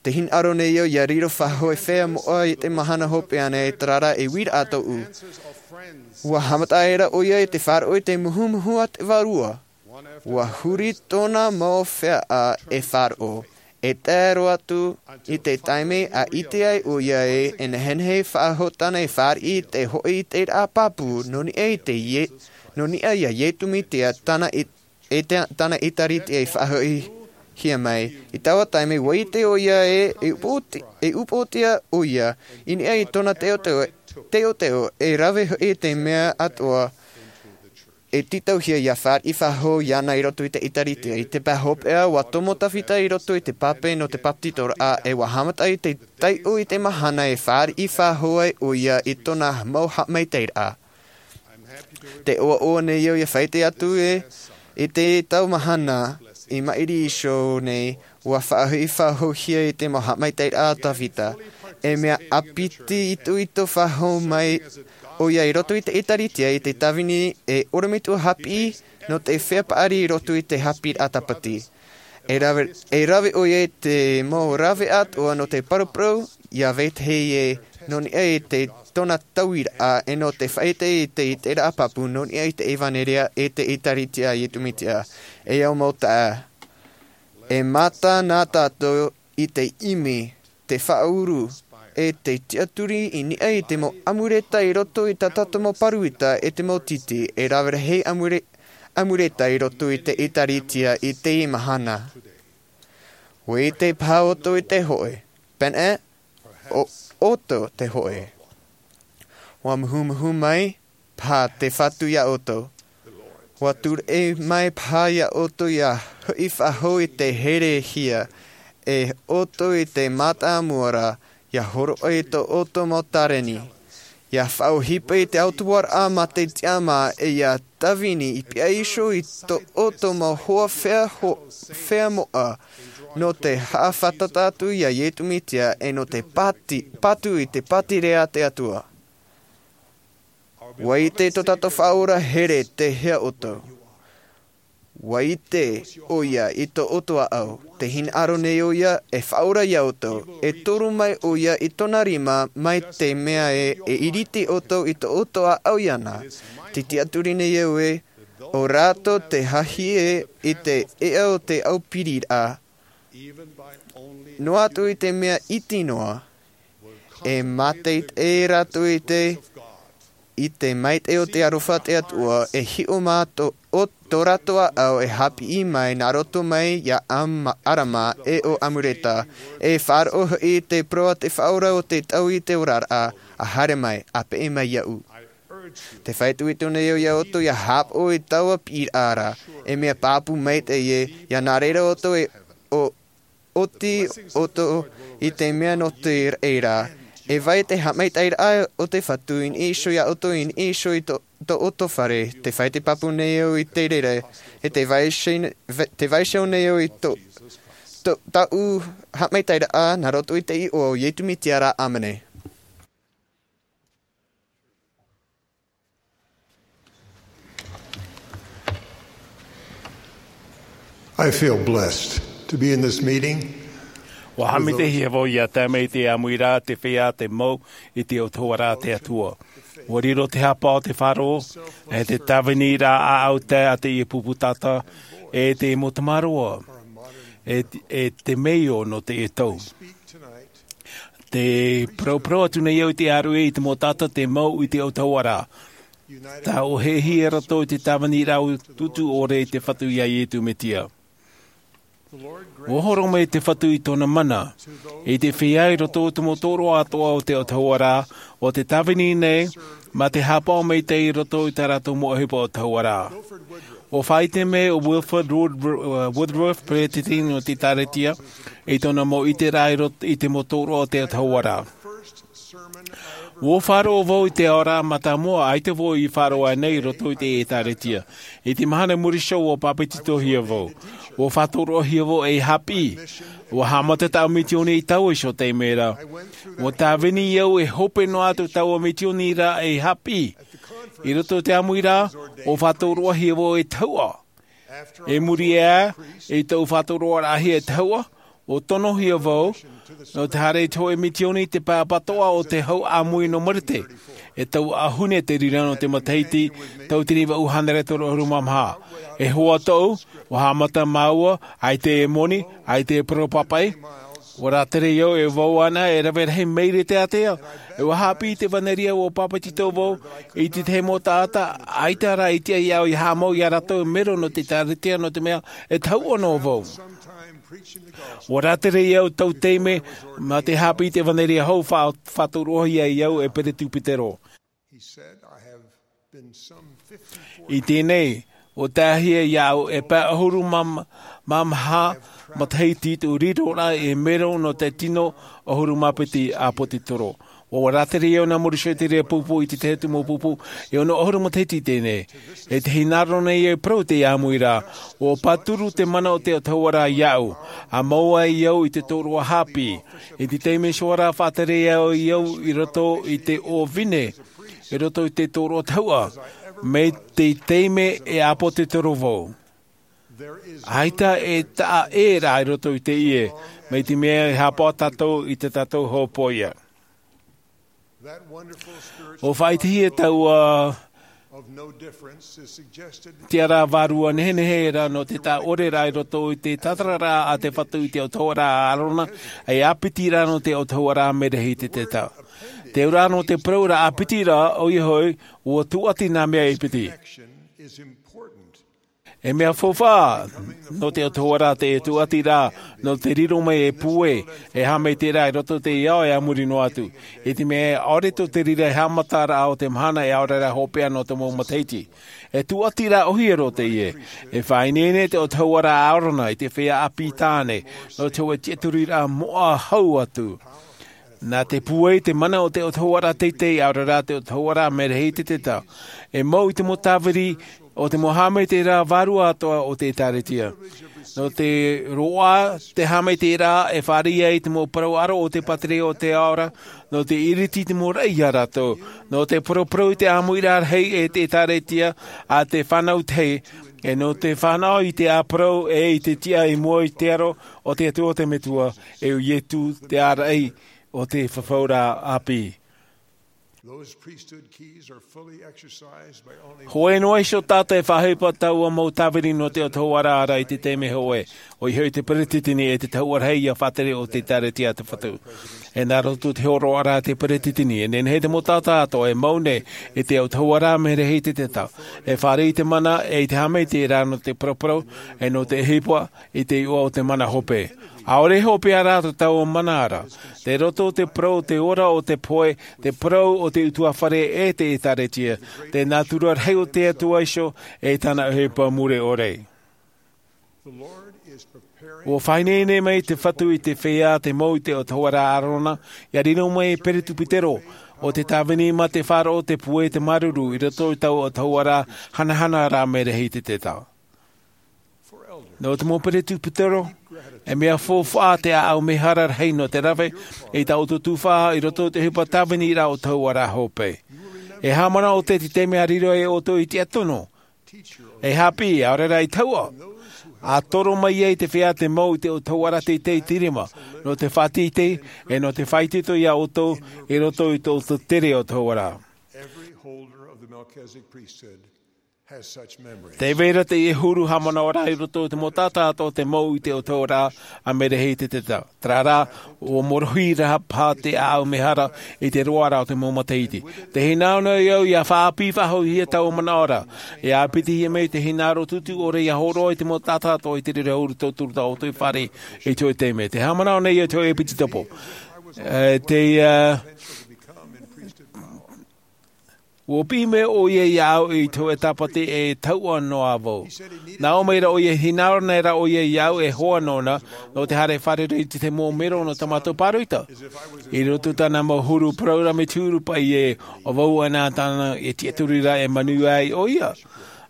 te hinaʻaro nei au ʻia riro faʻahou e feiā moʻa i te mahana hopeʻa nei, terā rā e uiraʻa tōʻu. ʻUa haʻamata aʻera ʻoia i te faʻaroʻo i te muhumuhu a te Vārua. ʻUa huri tōna mau feiā e faʻaroʻo, e tae roa atu i te taime a ʻite ai ʻoia ē, e nehenehe faʻahou tāna e fāriʻi i te hoʻi i te raʻa pāpū, nō niʻa i te Ie-, nō niʻa iā Iesu Mesia tāna i, e te, tāna ʻĒtārētia i faʻahoʻihia mai. I taua taime, ʻua ʻite ʻoia ē, e upoʻoti-, e upoʻotiʻa ʻoia, i niʻa i tōna teoteo, teoteo, e rave hoʻi te mea atoʻa, e tītauhia ʻia fāriʻi faʻahou iāna i roto i te ʻĒtārētia. I te pae hopeʻa, ʻua tomo Tavita i roto i te pape nō te bāpetizoraʻa, e ʻua haʻamata i te taiʻo i te mahana e fāriʻi faʻahou ai ʻoia i tōna mau haʻamaitaʻiraʻa. Tē ʻoaʻoa nei au ʻia faʻaʻite atu ē, i te tau mahana i maʻiri iho nei, ʻua faʻahoʻi faʻahouhia i te mau haʻamaitaʻiraʻa a Tavita. E mea ʻāpiti itoito faʻahou mai ʻoia i roto i te ʻĒtārētia i te tāvini e ʻorometua haʻapiʻi nō te feiā paʻari i roto i te haʻapiʻiraʻa tāpati. E rave, e rave ʻoia i te mau rave atoʻa nō te paraparau iā vetahi ē, nō niʻa i te tōna tauiraʻa, e nō te faʻaʻite i te, i te raʻa pāpū, nō niʻa i te ʻevanelia e te ʻĒtārētia a Iesu Mesia. E au mau taeaʻe, e mata na tātou i te ʻimi, te faʻauru, e te tiʻaturi i niʻa i te mau ʻāmureta i roto i tā tātou mau pāroita e te mau tītī, e rave rahi ʻāmure-, ʻāmureta i roto i te ʻĒtārētia i teie mahana. ʻUa ʻite paha ʻoutou i te hoʻi, pēnei, ʻo ʻoutou te hoʻi. ʻUa muhumuhu mai paha te Fatu iā ʻoutou. ʻUa tūreʻi mai paha iā ʻoutou ʻia hoʻi faʻahou i te herehia, e ʻoutou i te mātāmua ra, ʻia hōroʻa i tō ʻoutou mau tāreni. ʻIa faʻaʻohipa i te autahuʻaraʻa mā te tiʻamā, e ʻia tāvini i pihaʻi iho i tō ʻoutou mau hoa feiā ho-, feiā moʻa, nō te haʻafātata atu iā Iesu Mesia, e nō te pāti-, patu i te pātireia a te Atua. ʻUa ʻite tō tātou Faʻaora here te hea ʻoutou. ʻUa ʻite ʻoia i tō ʻoutou ʻāʻau. Tē hinaʻaro nei ʻoia e faʻaora iā ʻoutou. E toru mai ʻoia i tōna rima mai te mea ē, e iriti ʻoutou i tō ʻoutou ʻāʻau iāna. Tē tiʻaturi nei au ē, ʻo rātou te hahie i te ea o te ʻaupiriraʻa. Noa atu i te mea iti noa, e mātaʻitaʻi rātou i te, i te maitaʻi o te aroha a te Atua, e hiʻo mā tō, o tō rātou ʻāʻau e haʻapiʻi mai nā roto mai iā Am-, ʻArama, e ʻo ʻĀmureta, e faʻaroʻo hoʻi i te parau a te Faʻaora o te tau i te oraraʻa, ʻa haere mai, ʻa peʻe mai iāʻu. Tē faʻaitoito nei au iā ʻoutou ʻia haʻapaʻo i taua piʻiraʻa ra, e mea pāpū maitaʻi ē, ʻia nā reira ʻoutou e ʻo-, ʻoti ʻoutou i te mea nō te reira. E vai te haʻamaitaʻiraʻa o te Fatu i niʻa iho iā ʻoutou, i niʻa iho i tō, tō ʻoutou fare. Tē faʻaite pāpū nei au i te reira, e tē vaiiho, tē vaiiho nei au i tō, tō, tāʻu haʻamaitaʻiraʻa nā roto i te iʻoa o Iesu Mesia ra. ʻĀmene. I feel blessed to be in this meeting. ʻUa haʻamitehia vau ʻia tae mai i te ʻāmuiraʻa, te feiā, te mau i te autahuʻaraʻa a te Atua. ʻUa riro te hapa o te faʻaroʻo, e te tāviniraʻa ʻāʻau tae a teie pupu taʻata, e te mau tamaroa, e, e te mea nō teie tau. Tē parauparau atu nei au i te ʻāruʻe i te mau taʻata tē mau i te autahuʻaraʻa. Tāʻohehia rātou i te tāviniraʻa utuutu ʻore i te Fatu iā Iesu Mesia. ʻUa horo mai te Fatu i tōna mana, i te feiā i roto i te mau tōroʻa atoʻa o te autahuʻaraʻa, ʻo tē tāvini nei, mā te haʻapaʻo maitaʻi i roto i tā rātou mau ʻohipa autahuʻaraʻa. ʻUa faʻaʻite mai ʻo Wilford Wood-, uh, Woodruff, peresideni nō te ʻĒtārētia, i tōna mau ʻiteraʻa i roto i te mau tōroʻa o te autahuʻaraʻa. Ua faʻaroʻo vau i te aoraʻi mātāmua, ʻaita vau i faʻaroʻo nei i roto i te ʻētāretia. I te mahana i muri iho ua pāpetitohia vau. Ua faʻatōroʻahia vau ei haʻapiʻi. Ua haʻamata taua misioni i taua iho taime ra. Ua tāvini au e hope noa atu taua misioni ra ei haʻapiʻi. I roto i te ʻāmuiraʻa, ua faʻatōroʻahia vau ei tahuʻa. I muri aʻe i tōʻu faʻatōroʻaraʻahia ei tahuʻa, ua tonohia vau nō te haere i te hōʻē misioni i te pae ʻapatoʻa o te hau ʻāmui nō Marite. E taua ʻahune te reira nō te matahiti, tauatini vaʻu hānere toru ʻahuru mā maha. E hoa tōʻu, ua haʻamata māua, ʻaita e moni, ʻaita e parau pāpaʻi. Ua rātere au e vau ānei e rave rahi maere te ātea. E ua haʻapiʻi i te ʻevanelia, ua pāpetito vau i te tahi mau taʻata, ʻaita rā i tiʻa iāʻu ia haʻamau iā rātou e mero nō te ʻētāretia, nō te mea e tahuʻa noa vau. Ua rātere au taua taime, mā te haʻapiʻi i te ʻevanelia hou, faʻa-, faʻatōroʻahia au e peretupitero. I teie nei, ua taehia iāʻu e pae ʻahuru mā, mā maha matahiti tōʻu riroraʻa e mero nō te tino ʻahuru mā piti ʻāpōsetolo. Ua rātere au nā muri iho i te reira pupu i te tahi atu mau pupu, e ono ʻahuru matahiti i teie nei. E te hinaʻaro nei e parau te ʻāmuiraʻa, ua pāturu te mana o te autahuʻaraʻa iāʻu, ʻa mau ai au i te tōroʻa haʻapiʻi. I te taime iho ra faʻatere ai au i roto i te ʻōvine, i roto i te tōroʻa tahuʻa, mai te taime e ʻāpōsetolo vau. ʻAita e taʻa ʻē rā i roto i teie, mai te mea e haʻapaʻo tātou i tā tātou hōpoiʻa. ʻUa faʻaʻitehia taua tiʻaraʻa vārua nehenehe ra nō te taʻa ʻore ra i roto i te tātararaʻa a te Fatu i te autahuʻaraʻa a ʻĀrona, e ʻāpiti ra nō te autahuʻaraʻa Merehiteta. Te auraʻa nō te parau ra ʻāpiti ra, ʻoia hoʻi, ʻua tūʻati nā mea e piti. E mea faufaʻa nō te autahuʻaraʻa te tūʻati ra nō te riro mai e puai, e haʻamaitaʻiraʻa i roto i te ao e a muri noa atu. I te mea ʻaore tō te reira e haʻamataraʻa o te mahana e ʻaore rā hopeʻa nō te mau matahiti. E tūʻati ra ʻōhie roa teie. E faʻaineine te autahuʻaraʻa a ʻĀrona i te feiā ʻāpī tāne, nō te hōʻē tiʻaturiraʻa moʻa hau atu. Nā te puai te mana o te autahuʻaraʻa teitei, ʻaore rā te autahuʻaraʻa Merehiteta. E mau i te mau tāviri o te mau haʻamaitaʻiraʻa vārua atoʻa o te ʻĒtārētia. Nō te roaʻa te haʻamaitaʻiraʻa e fāriʻi ai te mau parau ʻaro o te pātireia o te ao ra, nō te ʻiriti i te mau raʻi ia rātou, nō te paraparau i te ʻāmuiraʻa rahi e te ʻĒtārētia a te fānau tahi, e nō te fānaʻo i te ʻāparau e i te tiʻa i mua i te aro o te Atua o te Metua, e ʻo Ietu te āraʻi o te fafauraʻa ʻāpī. Those priesthood keys are fully exercised by only Hōʻē noa iho taʻata e faʻaʻohipa taua mau tāviri nō te autahuʻaraʻa ra i te taime hōʻē, ʻoia hoʻi te peretiteni e te tahuʻa rahi ia faʻatere o te ʻĒtārētia a te Fatu. E nā roto i te hōroʻaraʻa a te peretiteni, e nehenehe te mau taʻata atoʻa e mau nei i te autahuʻaraʻa Merehiteta, e fāriʻi i te mana e i te haʻamaitaʻiraʻa nō te paraparau, e nō te ʻohipa i te iʻoa o te mana hope. ʻAore hopeʻa rā tō taua mana ra. Tei roto te parau o te ora o te pohe, te parau o te ʻutuāfare e te ʻĒtārētia, te nātura rahi o te Atua iho e tāna ʻohipa mure ʻore. ʻUa faʻaineine mai te Fatu i te feiā te mau i te autahuʻaraʻa a ʻĀrona, ia riro mai e peretupitero, ʻo te tāvini mā te faʻaroʻo te puai te māuruuru i roto i taua autahuʻaraʻa hanahana ra Merehiteta. Nō te mau peretupitero, e mea faufaʻa te ʻāʻau mehara rahi nō te rave i tā ʻoutou tuhaʻa i roto i te ʻohipa tāvini ra autahuʻaraʻa hope. E haʻamanaʻo ʻoutou i te taime a riro ai ʻoutou i te tiʻaturi, e haʻapiʻi, ʻaore rā i tahuʻa, ʻa toro mai ai te feiā te mau i te autahuʻaraʻa teitei i te rima, nō te faʻateitei, e nō te faʻaitoito ia ʻoutou i roto i tō ʻoutou tere autahuʻaraʻa. Every holder of the Melchizedek priesthood has such memories. Tē vai ra teie huru haʻamanaʻoraʻa i roto i te mau taʻata atoʻa te mau i te autahuʻaraʻa a Merehiteta. Terā rā, ʻua morohi rā paha te ʻāʻau mehara i te roaraʻa o te mau matahiti. Tē hinaʻaro nei au ia faʻaʻāpī faʻahouhia taua manaʻo ra. E ʻāpitihia mai te hinaʻaro tūtū ʻore ia hōroʻa i te mau taʻata atoʻa i te reira huru tauturu tā ʻoutou i fāriʻi i te hōʻē taime. Tē haʻamanaʻo nei au i te hōʻē piti topo. E, te, e, Ua piʻi mai ʻoia iāʻu i te hōʻē tāpati e tauʻa noa vau. Nā ʻō mai ra ʻoia, hinaʻaro nei ra ʻoia iāʻu e hoa nōna nō te haere fārerei i te mau mero nō tā mātou pāroita. I roto i tāna mau huru parau rā mai te huru paʻi ē, ʻo vau ana tāna e tiʻaturi ra e manuia ai ʻoia.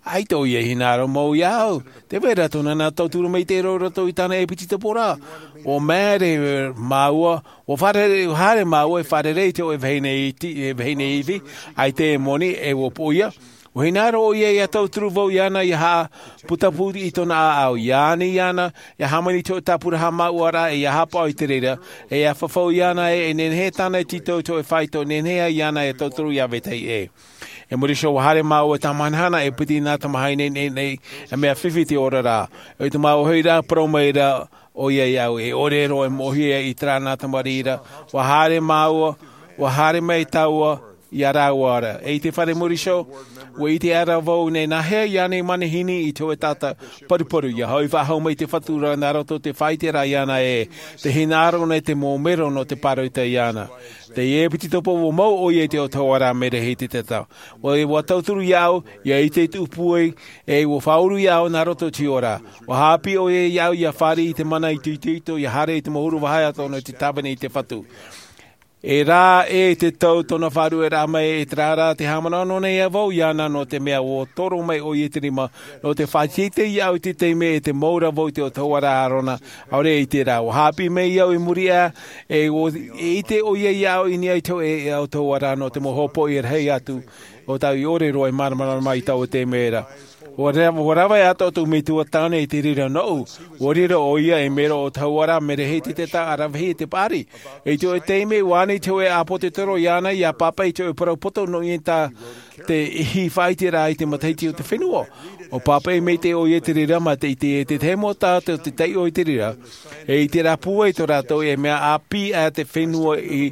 ʻAita ʻoia e hinaʻaro mau iāʻu. Tē vai ra tōna nā tauturu mai te reo roto i tāna e piti topo ra. Ua māere māua, ua fārerei, ua haere māua e fārerei i te hōʻē vahine iti, e vahine ivi, ʻaita e moni, e ua poʻia. Ua hinaʻaro ʻoia ʻia tauturu vau iāna ʻia haʻaputapū i tōna ʻāʻau, ʻia ani iāna, ʻia hāmani i te hōʻē tāpura haʻamāuʻaraʻa, e ʻia haʻapaʻo i te reira, e ʻia fafau iāna ē, e nehenehe tāna e tītau i te hōʻē faito, nehenehe ai iāna e tauturu ʻia vetahi ʻē. I muri iho ua haere māua e tāmahanahana e piti nā tamahine nei, nei, e mea fifi te oraraʻa. I te mau hoʻi rā, parau mai ra ʻoia iāʻu, e ʻore roa e moʻohia i terā nā tamariʻi ra. Ua haere māua, ua haere mai tāua iā rāua ra. E i te fare muri iho, ua ʻite ʻara vau nei nā hea iāna i manihini i te hōʻē taʻata paruparu, ʻia hoʻi faʻahou mai te Fatu ra nā roto i te faʻaʻiteraʻa iāna ē, tē hinaʻaro nei te mau mero nō te pāroita iāna. Teie piti topo ua mau ʻoia i te ʻautahuʻaraʻa Merehititeta. Ua, ua tauturu iāʻu, ʻia ʻite i te ʻupuʻu, e ua faʻauru iāʻu nā roto i te ora. Ua haʻapiʻi ʻoia iāʻu ʻia fāriʻi i te mana itoito, ʻia haere i te mau huru vāhi atoʻa nō te tāvini i te Fatu. E rā ē te tau tōna faʻarueraʻa mai, e terā rā tē haʻamanaʻo noa nei vau iāna, nō te mea ua toro mai ʻoia i te rima, nō te faʻateitei iāʻu i te taime e tē mau ra vau i te ʻautahuʻaraʻa Arona, ʻaore i terā. Ua haʻapiʻi mai au i muri aʻe, e ua, e ʻite ʻoia iāʻu i niʻa i te hōʻē ʻautahuʻaraʻa nō te mau hopoiʻa rahi atu, ʻo tāʻu i ʻore roa e māramarama i taua taime ra. Ua ra-, ua rave atoʻa tōʻu metua tāne i te reira nōʻu. Ua riro ʻoia ei mero ʻautahuʻaraʻa Merehititeta ʻaravihi i te paʻari. I te hōʻē taime ua ani te hōʻē ʻāpōtetoro iāna ʻia pāpaʻi i te hōʻē parau poto nō niʻa i tā te ʻihi faʻaʻiteraʻa i te matahiti o te fenua. ʻUa pāpaʻi maitaʻi ʻoia i te reira, mā te ʻite e te tahi mau taʻata o te taiʻo i te reira, e i terā pūai tō rātou e mea ʻāpī aʻe te fenua i,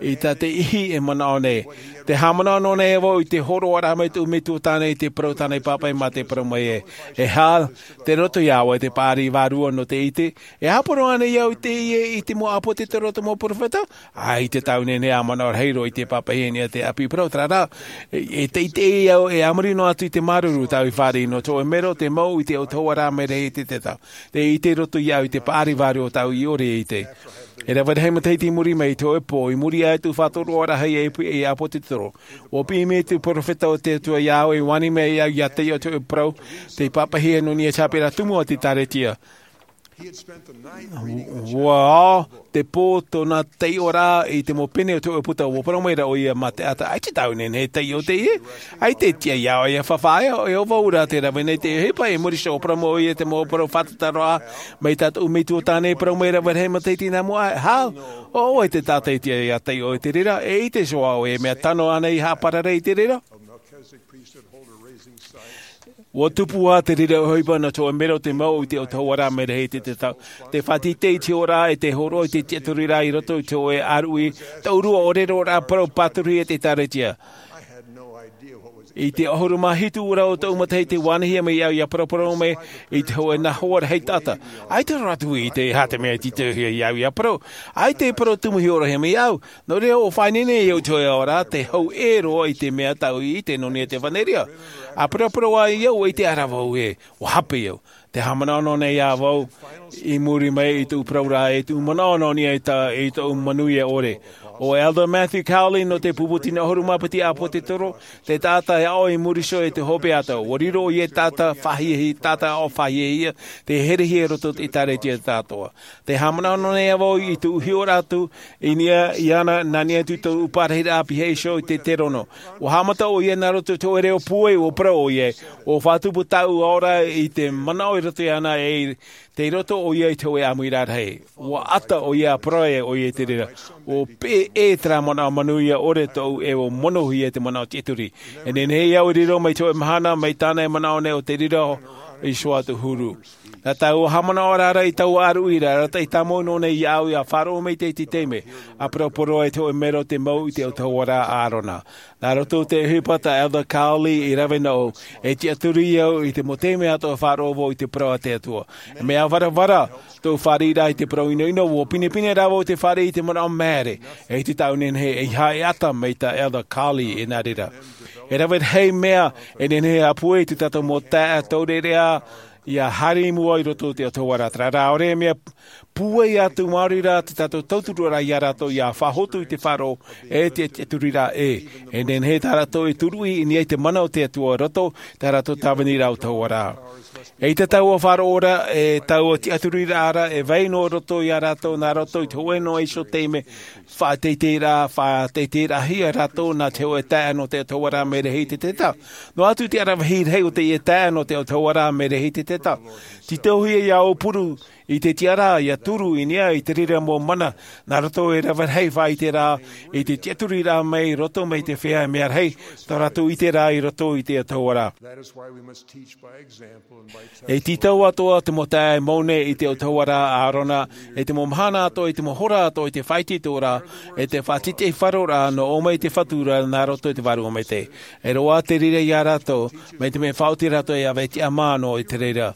i tā te ʻihi e manaʻo nei. Tē haʻamanaʻo noa nei vau i te hōroʻaraʻa mai tōʻu metua tāne i te parau tāna i pāpaʻi, mā te parau mai ē, e Hal, tei roto iā ʻoe te paʻari vārua nō te ʻite. E ʻāpō roa ānei au i teie, i te mau ʻāpōtetoro, te mau perofeta? ʻAita tāʻu e nehenehe e manaʻo rahi roa i te pāpaʻihia i niʻa i te ʻāpī parau, terā rā, e, e teitei au, e a muri noa atu i te māuruuru tāʻu i fāriʻi nō te hōʻē mero tē mau i te ʻautahuʻaraʻa Merehititeta. Tē ʻite roto iāʻu i te paʻari vārua o tāʻu i ʻore e ʻite. E rave rahi matahiti i muri mai i te hōʻē pō, i muri aʻe i tōʻu faʻatoroʻaraʻa e pu-, ei ʻāpōtetoro, ua piʻi mai te perofeta o te Atua iā ʻoe, ʻua ani mai iāʻu ʻia taiʻo i te hōʻē parau tei pāpaʻihia nō niʻa i te haʻapiʻiraʻa tumu a te ʻĒkālesia. Ua ao te pō tōna taiʻoraʻa i te mau pene o te hōʻē puta, ua parau mai ra ʻoia mā te taʻata, ʻaita tāʻu e nehenehe e taiʻo i teie. ʻAita e tiʻa iā ʻoe ʻia faʻaea, e ʻo vau rā tē rave nei i teie ʻohipa. I muri iho ʻua parau mai ʻoia i te mau parau fātata roa mai tā tōʻu metua tāne, parau mai ra, rave rahi matahiti nā mua aʻe, Hal, ʻo ʻoe te taʻata e tiʻa ʻia taiʻo i te reira, e ʻite iho ā ʻoe e mea tano ānei e haʻaparare i te reira? Ua tupu ā te reira ʻohipa nō te hōʻē mero tē mau i te ʻautahuʻaraʻa Merehititeta, tē faʻateitei i te ora, e tē hōroʻa i te tiʻaturiraʻa i roto i te hōʻē ʻāruʻi, taʻurua ʻōreroraʻa parau pāturu e te ʻĒkālesia. I te ʻahuru mā hitu ra o tōʻu matahiti, ua anihia mai iāʻu ʻia paraparau mai i te hōʻē nā hoa rahi taʻata. ʻAita roa atu i ʻite e aha te mea i tītauhia iāʻu ʻia parau. ʻAita e parau tumu hiʻoraʻahia mai iāʻu. Nō reira, ʻua faʻaineine au i te hōʻē ao ra, tē hau ʻē roa i te mea tāʻu i ʻite nō niʻa i te ʻEvanelia. ʻA paraparau ai au, ʻua ʻite ʻara vau ē, ʻua hape au. Tē haʻamanaʻo noa nei ā vau, i muri mai i tōʻu parauraʻa, i tōʻu manaʻo nō niʻa i tā, i tōʻu manuia ʻore. ʻO Elder Matthew Cowley nō te pupu tino ʻahuru mā piti ʻāpōtetoro, te taʻata e aʻo i muri iho i te hopeʻa atoʻa. Ua riro ʻoia ei taʻata faʻahiahia, taʻata aʻo faʻahiahia, tei herehia i roto i te ʻĒkālesia atoʻa. Tē haʻamanaʻo noa nei ā vau i tōʻu hiʻoraʻa atu i niʻa iāna, nā niʻa atu i tōʻu parahiraʻa pihaʻi iho i te terono. ʻUa haʻamata ʻoia nā roto i te hōʻē reo pūai, ʻua parau ʻoia, ʻua faʻatupu tāʻu aoraʻa i te manaʻo i roto iāna, e tei roto ʻoia i te hōʻē ʻāmuiraʻa rahi. ʻUa ʻata ʻoia, ʻa parau ʻoia i te reira, ʻua peʻe terā manaʻo manuia ʻore tōʻu, e ʻua monohia te manaʻo tiʻaturi. E nehenehe au e riro mai te hōʻē mahana, mai tāna e manaʻo nei ʻo te reira iho ā tōʻu huru. Nā tāʻu haʻamanaʻoraʻa i taua ʻāruʻi ra, arataʻi tāmau noa nei iāʻu ʻia faʻaroʻo mai i te, te taime, ʻa paraparau ai te hōʻē mero tē mau i te ʻautahuʻaraʻa Arona. Nā roto i te ʻohipa tā Elder Cowley i rave nōʻu, e tiʻaturi au i te mau taime atoʻa e faʻaroʻo vau i te parau a te Atua. E mea varavara tōʻu fāriʻiraʻa i te parau ʻinoʻino, ʻua pinepine rā vau i te fāriʻi i te manaʻo māere, e ʻite tāʻu e nehenehe e ʻeiaha e ʻata mai tā Elder Cowley i nā reira. E rave rahi mea e nehenehe e pūai i tō tātou mau taeaʻe taureʻareʻa ia haere i mua i roto i te ʻOtua ra. Terā rā, ʻaore e mea pūai atu maori rā tō tātou tauturu ra ia rātou ia faʻahotu i te faʻaroʻo e te tiʻaturi ra. E nehenehe tā rātou e turuʻi i niʻa i te mana o te Atua i roto i tā rātou tāvini ra ʻOtua ra. ʻEita taua faʻaroʻo ra, e taua tiʻaturi ra, e vai noa roto ia rātou nā roto i te hōʻē noa iho taime faʻateiteiraʻa, faʻateiteiraʻahia rātou nā te hōʻē taeaʻe nō te ʻOtua ra, mea rahi te teta. Noa atu te aravihi rahi o teie taeaʻe nō te ʻOtua ra, mea rahi te teta. Tītauhia ia ʻōpuru i te tiʻaraʻa, ia turu i niʻa i te reira mau mana nā roto e rave rahi faʻaʻiteraʻa i te tiʻaturiraʻa mai roto mai te feiā mea rahi, tā rātou ʻiteraʻa i roto i te ʻOtua ra. E tītau atoʻa te mau taeaʻe mau nei i te ʻOtua ra a ʻĀrona, e te mau mahana atoʻa, e te mau hora atoʻa i te faʻaitoitoraʻa, e te faʻatītīfaroraʻa nō ʻō mai te Fatu ra nā roto i te Vārua Maitaʻi. E roaʻa te reira ia rātou, mai te mea faʻaoti rātou e ʻave tiʻamā noa i te reira.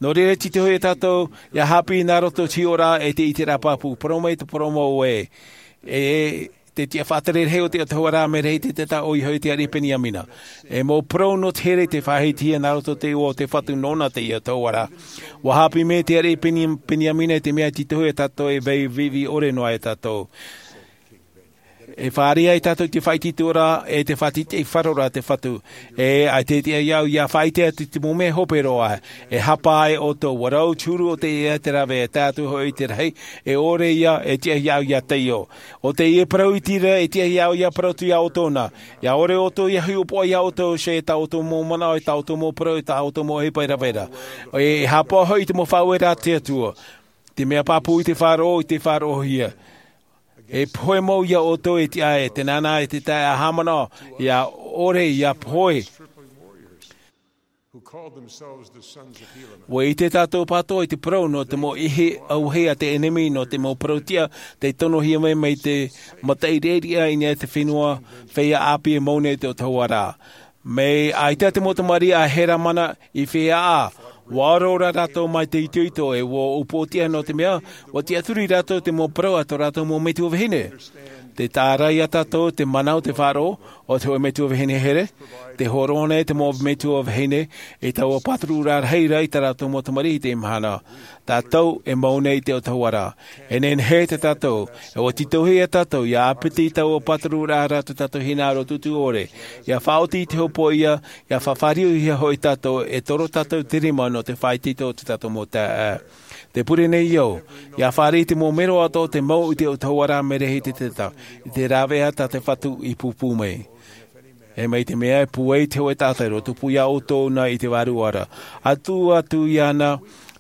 Nō reira, tītauhia tātou ia haʻapiʻi nā roto i te hiʻoraʻa e te ʻiteraʻa pāpū. Parau mai te parau mau ē, e te tiʻa faʻatere rahi o te ʻOtua ra, mea rahi te teta, ʻoia hoʻi te ariʻi Peniamina. E mau parau nō te here i te faʻahitihia nā roto i te iʻoa o te Fatu nōna teie ʻOtua ra. ʻUa haʻapiʻi mai te ariʻi Peni-, Peniamina i te mea tītauhia tātou e vai viʻiviʻi ʻore noa ia tātou. E fāriʻi ai tātou i te faʻaitoitoraʻa e te faʻatītīfaroraʻa a te Fatu. E ʻaita e tiʻa iāʻu ia faʻaʻite atu i te mau mea hope roa. E hapa ai ʻoutou, ʻua rau te huru o te ea i te rave, e tae atu hoʻi i te rahi, e ʻore ia, e tiʻa iāʻu ia taiō. ʻO teie parau iti ra, e tiʻa iāʻu ia parau atu ia ʻoutou na. ʻIa ʻore ʻoutou ia hiʻopoʻa ia ʻoutou, ʻe tā ʻoutou mau manaʻo, ʻe tā ʻoutou mau parau, ʻe tā ʻoutou mau ʻohipa i rave ra. E, e hapa hoʻi i te mau faʻaueraʻa a te Atua. Te mea pāpū i te faʻaroʻo, i te faʻaroʻohia. E pohe mau ia ʻoutou e tiʻa ē, tē nānā e te taeaʻe haʻamanaʻo, ʻia ʻore ia pohe. ʻUa ʻite tātou pātoʻa i te parau nō te mau ʻihi auahi a te ʻenemi, nō te mau parau tiʻa tei tonohia mai, mai te mataʻi reira i niʻa i te fenua, feiā ʻāpī e mau nei i te ʻOtua ra. Mai ʻaita te mau tamariʻi a Heramana i feiā ʻā, ʻua ʻore ora rātou mai te itoito, e ʻua upoʻotiʻa nō te mea, ʻua tiʻaturi rātou i te mau parau a tō rātou mau metua vahine. Tē taʻa ra ia tātou te mana o te faʻaroʻo o te hōʻē metua vahine here, tē hōroʻa nei te mau metua vahine i taua pāturuʻaraʻa rahi ra i tā rātou mau tamariʻi i teie mahana. Tātou e mau nei i te ʻOtua ra. E nehenehe tā tātou, e ʻua tītauhia tātou, ʻia ʻāpiti i taua pāturuʻaraʻa ra tō tātou hinaʻaro tūtū ʻore, ʻia faʻaoti i te hopoiʻa, ʻia faʻafāriuhia hoʻi tātou, e toro tātou te rima nō te faʻaitoito o tō tātou mau taeaʻe. Tē pure nei au, ʻia fāriʻi te mau mero atoʻa o te mau i te ʻOtua ra, mea rahi te teta, i te rāveʻa tā te Fatu i pūpū mai. E mai te mea e pūai te hōʻē taʻata i roto pū ia ʻoutou na i te vārua ra. Atu, atu iāna,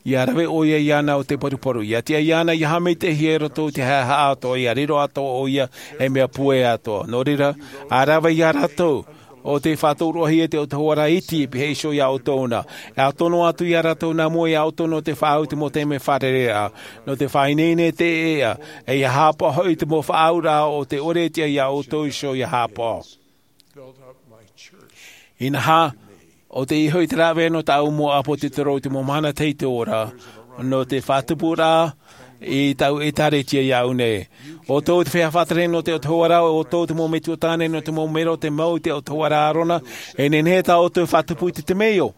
ʻia rave ʻoia iāna o te paruparu. ʻIa tiʻa iāna, ʻia haʻamaitaʻihia i roto i te haʻehaʻa atoʻa, ʻia riro atoʻa ʻoia ei mea pūai atoʻa. Nō reira, ʻa rave ia rātou, ʻo tē faʻatōroʻahia e te ʻOtua ra iti, e pīhaʻi iho ia ʻoutou na. E ʻa tono atu ia rātou nā mua ia ʻoutou nō te faʻaau i te mau taime fārereiraʻa, nō te faʻaineine i te ʻēʻa, e ʻia haʻapaʻo hoʻi i te mau faʻaauraʻa o tē ʻore e tiʻa ia ʻoutou iho ʻia haʻapaʻo. Inaha, ʻo teie hoʻi te rāveʻa nō tāʻu mau ʻāpōsetolo i te mau mahana tahito ra, nō te faʻatupuraʻa i tāʻu ʻēkālesia iāʻu nei. ʻO ʻoutou te feiā faʻatere nō te ʻOtua ra, ʻo ʻoutou te mau metua tāne nō te mau mero o te mau i te ʻOtua ra a ʻĀrona, e nehenehe tā ʻoutou e faʻatupu i te temeio.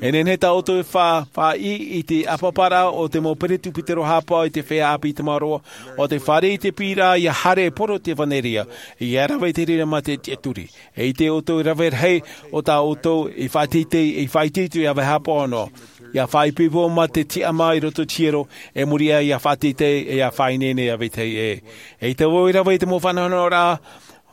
E nehenehe tā ʻoutou e fa-, faʻaʻī i te ʻāpaparaʻa o te mau peresibutero haʻapaʻo i te feiā ʻāpī i Tamaroa, ʻo tē fāriʻi i te piʻiraʻa ʻia haere e poro i te ʻevanelia, ʻia rave i te reira mā te tiʻaturi. E ʻite ʻoutou e rave rahi ʻo tā ʻoutou i faʻateitei, i faʻaitoito ʻia ʻave haʻapaʻo noa. ʻIa faʻaipoipo mā te tiʻamā i roto i te hiero, e muri aʻe ʻia faʻateitei, e ʻia faʻaineine ʻia vetahi ʻē. E ʻite vau e rave i te mau faʻanahonahoraʻa,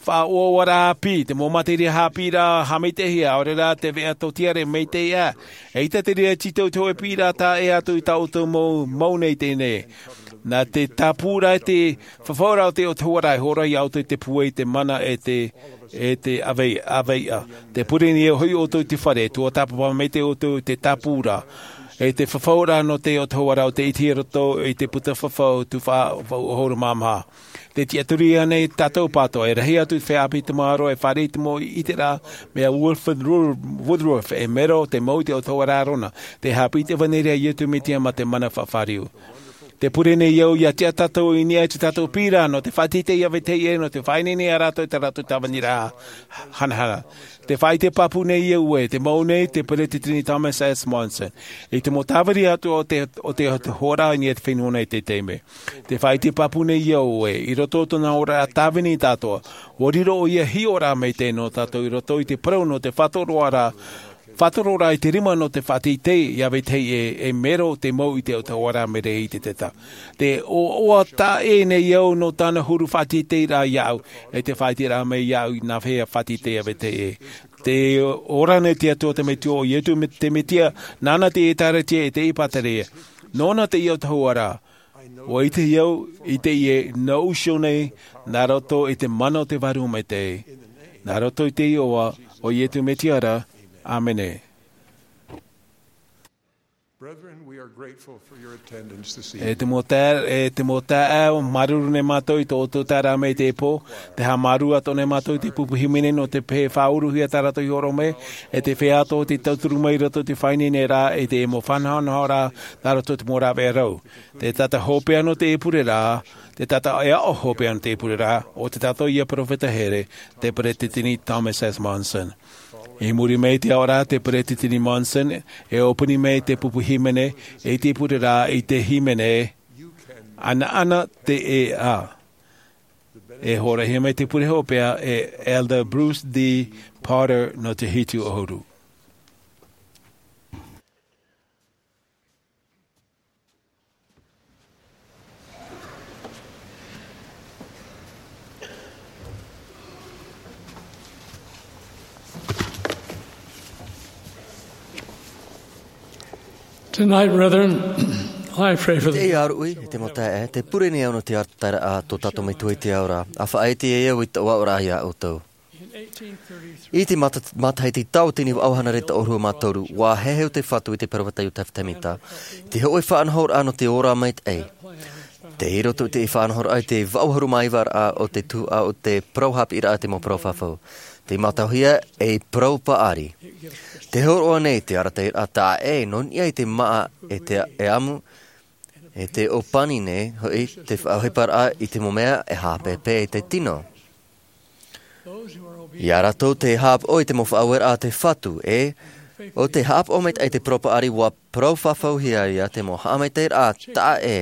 faʻaʻoaʻoaraʻa ʻāpī, te mau materia haʻapiʻiraʻa haʻamaitaʻihia, ʻaore rā te veʻa tōtiare maitaʻi aʻe. E ʻite te reira tītau i te hōʻē piʻiraʻa taʻa ʻē atu i tā ʻoutou mau, mau nei teie nei. Nā te tāpūraʻa e te fafauraʻa o te ʻOtua ra e hōroʻa ia ʻoutou i te pūai, te mana e te, e te ʻāvei-, ʻāveiʻa. Tē pure nei hoʻi ʻoutou i te fare, tuatāpapa maitaʻi ʻoutou i te tāpūraʻa, e te fafauraʻa nō te ʻOtua ra ʻo tē ʻitehia i roto i te puta fafau tuhaʻa ʻahuru mā maha. Tē tiʻaturi nei tātou pātoʻa, e rahi atu te feiā ʻāpī i Tamaroa, e fāriʻi i te mau ʻiteraʻa mai ia Wilford Ru-, Woodruff, e mero o te mau i te ʻOtua ra a ʻĀrona, tē haʻapiʻi i te ʻevanelia a Iesu Mesia mā te mana faʻafāriu. Te pure nei au ia tiʻa tātou i niʻa i tō tātou pīrā nō te faʻateitei ia vetahi ʻē, nō te faʻaineine ia rātou i tā rātou tāvini rā hanahana. Te faʻaʻite pāpū nei au ē, te mau nei te Peresideni Thomas S. Monson, i te mau tāvini atoʻa o te, o te, o te hora i niʻa i te fenua nei i teie nei. Te faʻaʻite pāpū nei au ē, i roto o tōna oraraʻa tāvini tātou, ʻua riro ʻoia hiʻoraʻa maitaʻi nō tātou i roto i te parau nō te faʻatoroʻaraʻa, faʻatoroʻaraʻa i te rima nō te faʻateitei ia vetahi ʻē, e mero te mau i te autahuʻaraʻa mai reira i te tata. Te ʻoaʻoa taʻa ʻē nei au nō tāna huru faʻateiteiraʻa iāʻu, e te faʻaʻiteraʻa mai iāʻu i nā fea faʻateitei ia vetahi ʻē. Te ora nei te Atua te Metua, ʻo Iesu te Mesia, nāna te ʻĒtārētia e te ʻĒpatārētia. Nōna te autahuʻaraʻa. ʻUa ʻite au i teie nōʻu iho nei, nā roto i te mana o te Vārua Maitaʻi. Nā roto i te iʻoa o Iesu Mesia ra. ʻĀmene. Brethren, we are grateful for your attendance this evening. E te mau taeaʻe, e te mau taeaʻe, māuruuru nei mātou i tō ʻoutou taeraʻa mai i teie pō, tē haʻamāuruuru atoʻa nei mātou i te pupu hīmene nō te peu e faʻauruhia tā rātou i hōroʻa mai, e te feiā atoʻa tei tauturu mai i roto i te faʻaineineraʻa, e te mau faʻanahonahoraʻa, nā roto i te mau rāveʻa rau. Te taʻata hopeʻa nō teie pureraʻa, te taʻata e aʻo hopeʻa nō teie pureraʻa, ʻo te taʻata ïa peropheta here, te Peresideni Thomas S. Monson. I muri mai i te aʻoraʻa a te Peresideni Monson, e ʻōpani mai te pupu hīmene, i te pureraʻa i te hīmene, Anaana te ʻēʻa. E hōroʻahia mai te pure hopeʻa e Elder Bruce D. Potter nō te hitu ʻahuru. Tonight, brethren, I pray for the Teie ʻāruʻi, e te mau taeaʻe, te pure nei au nō te arataʻiraʻa a tō tātou Metua i te ao ra, ʻa faʻaʻite ai au i taua aʻoraʻa ia ʻoutou. I te mata-, matahiti tauatini vaʻu hānere toʻahuru mā toru, ʻua heheu te Fatu i te peropheta Iosepha Sāmita, te hōʻē faʻanahoraʻa nō te ora maitaʻi. Tei roto i te faʻanahoraʻa i te vaʻu ʻahuru mā iva raʻa o te tuhaʻa o te parau haʻapiʻiraʻa te mau parau fafau. Tei mātauhia ei parau paʻari. Tē hōroʻa nei te arataʻiraʻa taʻa ʻē nō niʻa i te māʻa e te, e ʻamu, e te ʻōpani nei, hoʻi te faʻaʻohiparaʻa i te mau mea e haʻapēpē i te tino. Ia rātou tē haʻapaʻo i te mau faʻaueraʻa a te Fatu, e, ʻo tē haʻapaʻo maitaʻi i te parau paʻari ʻua parau fafauhia ia te mau haʻamaitaʻiraʻa taʻa ʻē.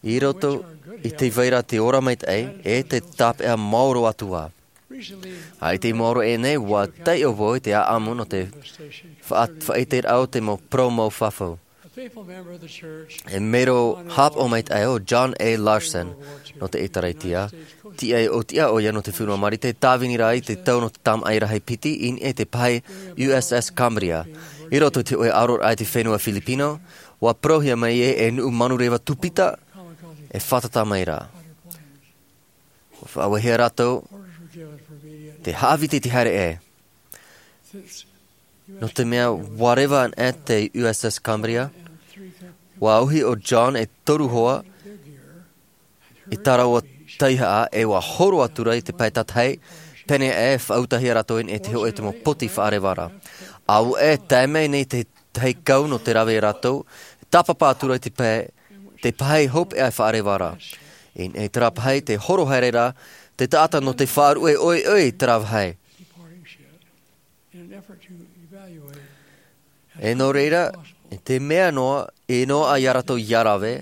I roto i te vai ra te ora maitaʻi, e te tāpeʻa maoro atu ā. ʻAita i maoro aʻe nei, ʻua taiʻo vau i te ʻāʻamu nō te faʻa-, faʻaʻiteraʻa o te mau parau mau fafau. E mero haʻapaʻo maitaʻi ʻo John A. Larson nō te ʻĒtārētia, tiʻa i ʻōtiʻa ʻoia nō te Fenua Marite, tāvini ra i te tau nō te tamaʻi rahi piti i niʻa i te pae U S S Cambria. I roto i te hōʻē ʻaroraʻa i te fenua Filipino, ʻua parauhia mai ē, e nuʻu manureva tupita, e fātata mai ra. ʻUa faʻauehia rātou, te haʻaviti te haere ʻē. Nō te mea ʻua reva anaʻe te U S S Cambria, ʻua auhi ʻo John e toru hoa, i tā rāua taihaʻa, e ʻua horo atu ra i te pae tātahi, pēneiaʻe, faʻautahia rātou i niʻa i te hōʻē te mau poti faʻareva ra. ʻAuē, tae mai nei te tahi kau nō te rave ia rātou, tāpapa atu ra i te pae, te pae hopeʻa e faʻareva ra. I niʻa i terā pae, tē horo haere ra, te taʻata nō te faʻaruʻe ʻoiʻoi i terā pae. E nō reira, i te mea noa, e noaʻa ia rātou ʻia rave,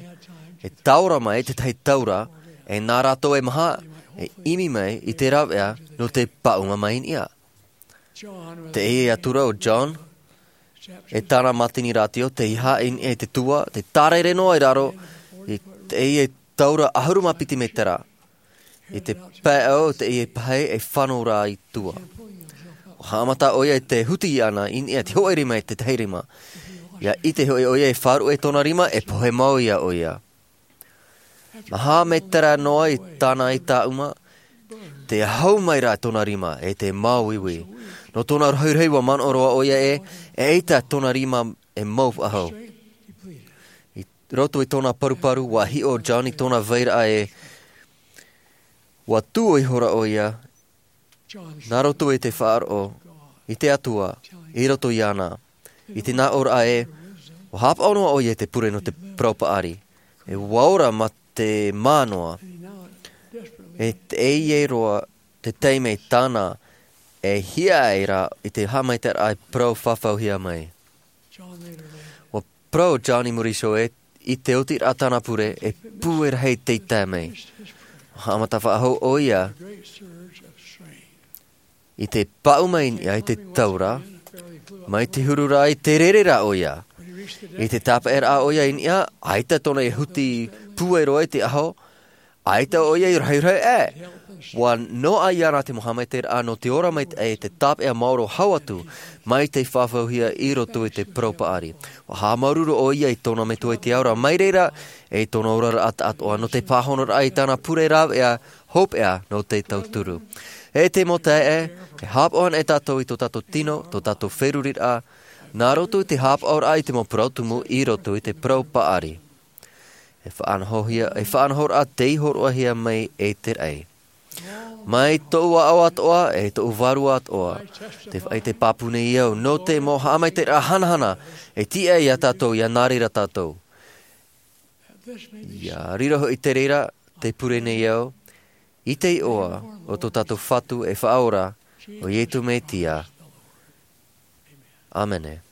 e taora mai te tahi taura, e nā rātou e maha, e ʻimi mai i te rāveʻa nō te pāʻuma mai i niʻa. Teie atura ʻo John, e tāna mātini rātio, tei haʻa i niʻa i te tua, tē tārere noa i raro, i teie taura ʻahuru mā piti mētera. I te pae ʻau o teie pae e fano ra i tua. ʻUa haʻamata ʻoia i te huti iāna i niʻa i te hōʻē rima e te tahi rima. ʻIa ʻite hoʻi ʻoia e faʻaruʻe tōna rima, e pohe mau ia ʻoia. Maha mētera noa i tāna i tāʻuma, tē hau mai ra tōna rima, e tē māuiui. Nō tōna rahirahi ʻua manaʻo roa ʻoia ē, eʻita tōna rima e mau faʻahou. I roto i tōna paruparu, ʻua hiʻo John i tōna vairaʻa ē, ʻua tuʻu ihora ʻoia, nā roto i te faʻaroʻo, i te Atua, i roto iāna. I te nā ʻōraʻa ē, Ua haʻapaʻo noa ʻoia i te pure nō te parau paʻari. E ua ora mā te mānoa. E teie roa te taime tāna e hiaʻai ra i te haʻamaitaʻiraʻa e parau fafauhia mai. Ua parau John i muri iho ē, i te otiraʻa tāna pure, e pūai rahi tei tae mai. Haʻamata faʻahou ʻoia i te paʻu mai i niʻa i te taura, mai te huru ra i te rere ra ʻoia. I te tāpeʻaraʻa ʻoia i niʻa, ʻaita tōna e huti pūai roa i te aho, ʻaita ʻoia i rahurahu ʻē. Ua noaʻa iāna te mau haʻamaitaʻiraʻa nō te ora maitaʻi, te tāpeʻa maoro hau atu, mai te fafauhia i roto i te parau paʻari. Ua haʻamāuruuru ʻoia i tōna metua i te ao ra, mai reira, e tōna oraraʻa taʻatoʻa, nō te pāhonoraʻa i tāna pure rāveʻa, hopeʻa nō te tauturu. E te mau taeaʻe, e haʻapaʻo ana e tātou i tō tātou tino, tō tātou feruriraʻa, nā roto i te haʻapaʻoraʻa i te mau parau tumu i roto i te parau paʻari. E faʻanahohia, e faʻanahoraʻa tei hōroʻahia mai e te raʻi. Mai tōʻu aʻo atoʻa, e tōʻu vārua atoʻa, tē faʻaʻite pāpū nei au, nō te mau haʻamaitaʻiraʻa hanahana, e tiʻa iā tātou, ʻia nā reira tātou. ʻIa riro hoʻi te reira, tē pure nei au, i te iʻoa o tō tātou Fatu e Faʻaora, ʻo Iesu Mesia. ʻĀmene.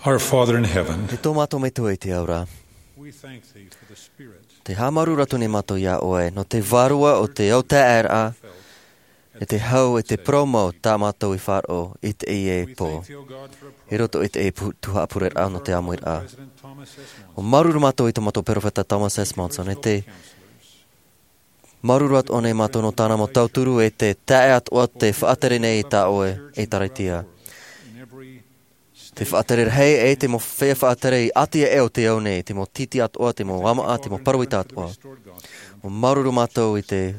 Our Father in heaven, E tō mātou Metua i te ao ra, we thank thee for the Spirit. Te haʻamāuruuru atu nei mātou iā ʻoe, nō te vārua o te autaeaʻeraʻa, e te hau, e te parau mau tā mātou i faʻaroʻo i teie pō. I roto i te pu-, tuhaʻa pureraʻa nō te ʻāmuiraʻa. ʻUa māuruuru mātou i tō mātou peropheta Thomas S. Monson, e te māuruuru atoʻa nei mātou nō tāna mau tauturu e te taeaʻe atoʻa te faʻatere nei i tā ʻoe ʻēkālesia. Te faʻatere rahi e te mau feiā faʻatere i ʻāti aʻe o te ao nei, te mau tītī atoʻa, te mau ʻāmaʻa, te mau pāroita atoʻa. ʻUa māuruuru mātou i te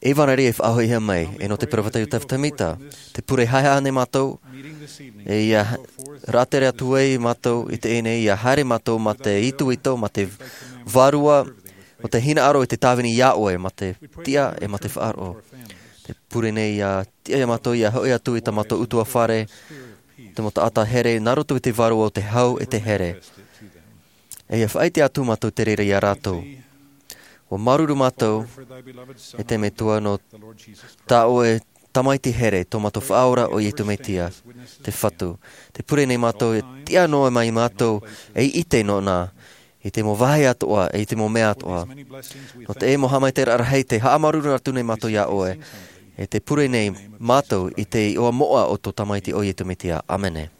ʻevanelia e faʻahoʻihia mai, e nō te peropheta Iosepha Semita, te pure haʻehaʻa nei mātou, e ʻia rātere atu ai mātou i teie nei, ʻia haere mātou mā te itoito, mā te vārua, o te hinaʻaro i te tāvini iā ʻoe, mā te tiʻa e mā te faʻaroʻo. Te pure nei ʻia tiʻa iā mātou, ʻia hoʻi atu i tā mātou ʻutuāfare, te mau taʻata here, nā roto i te vārua o te hau e te here. E ʻia faʻaʻite atu mātou te reira iā rātou. ʻUa māuruuru mātou, e te Metua, nō tā ʻoe Tamaiti here, tō mātou Faʻaora ʻo Iesu Mesia, te Fatu. Te pure nei mātou, e tiʻa noa mai mātou, ei ʻite nōna, i te mau vāhi atoʻa, e i te mau mea atoʻa. Nō te mau haʻamaitaʻiraʻa rahi, tē haʻamāuruuru atu nei mātou iā ʻoe, e tē pure nei mātou i te iʻoa moʻa o tō Tamaiti ʻo Iesu Mesia. ʻĀmene.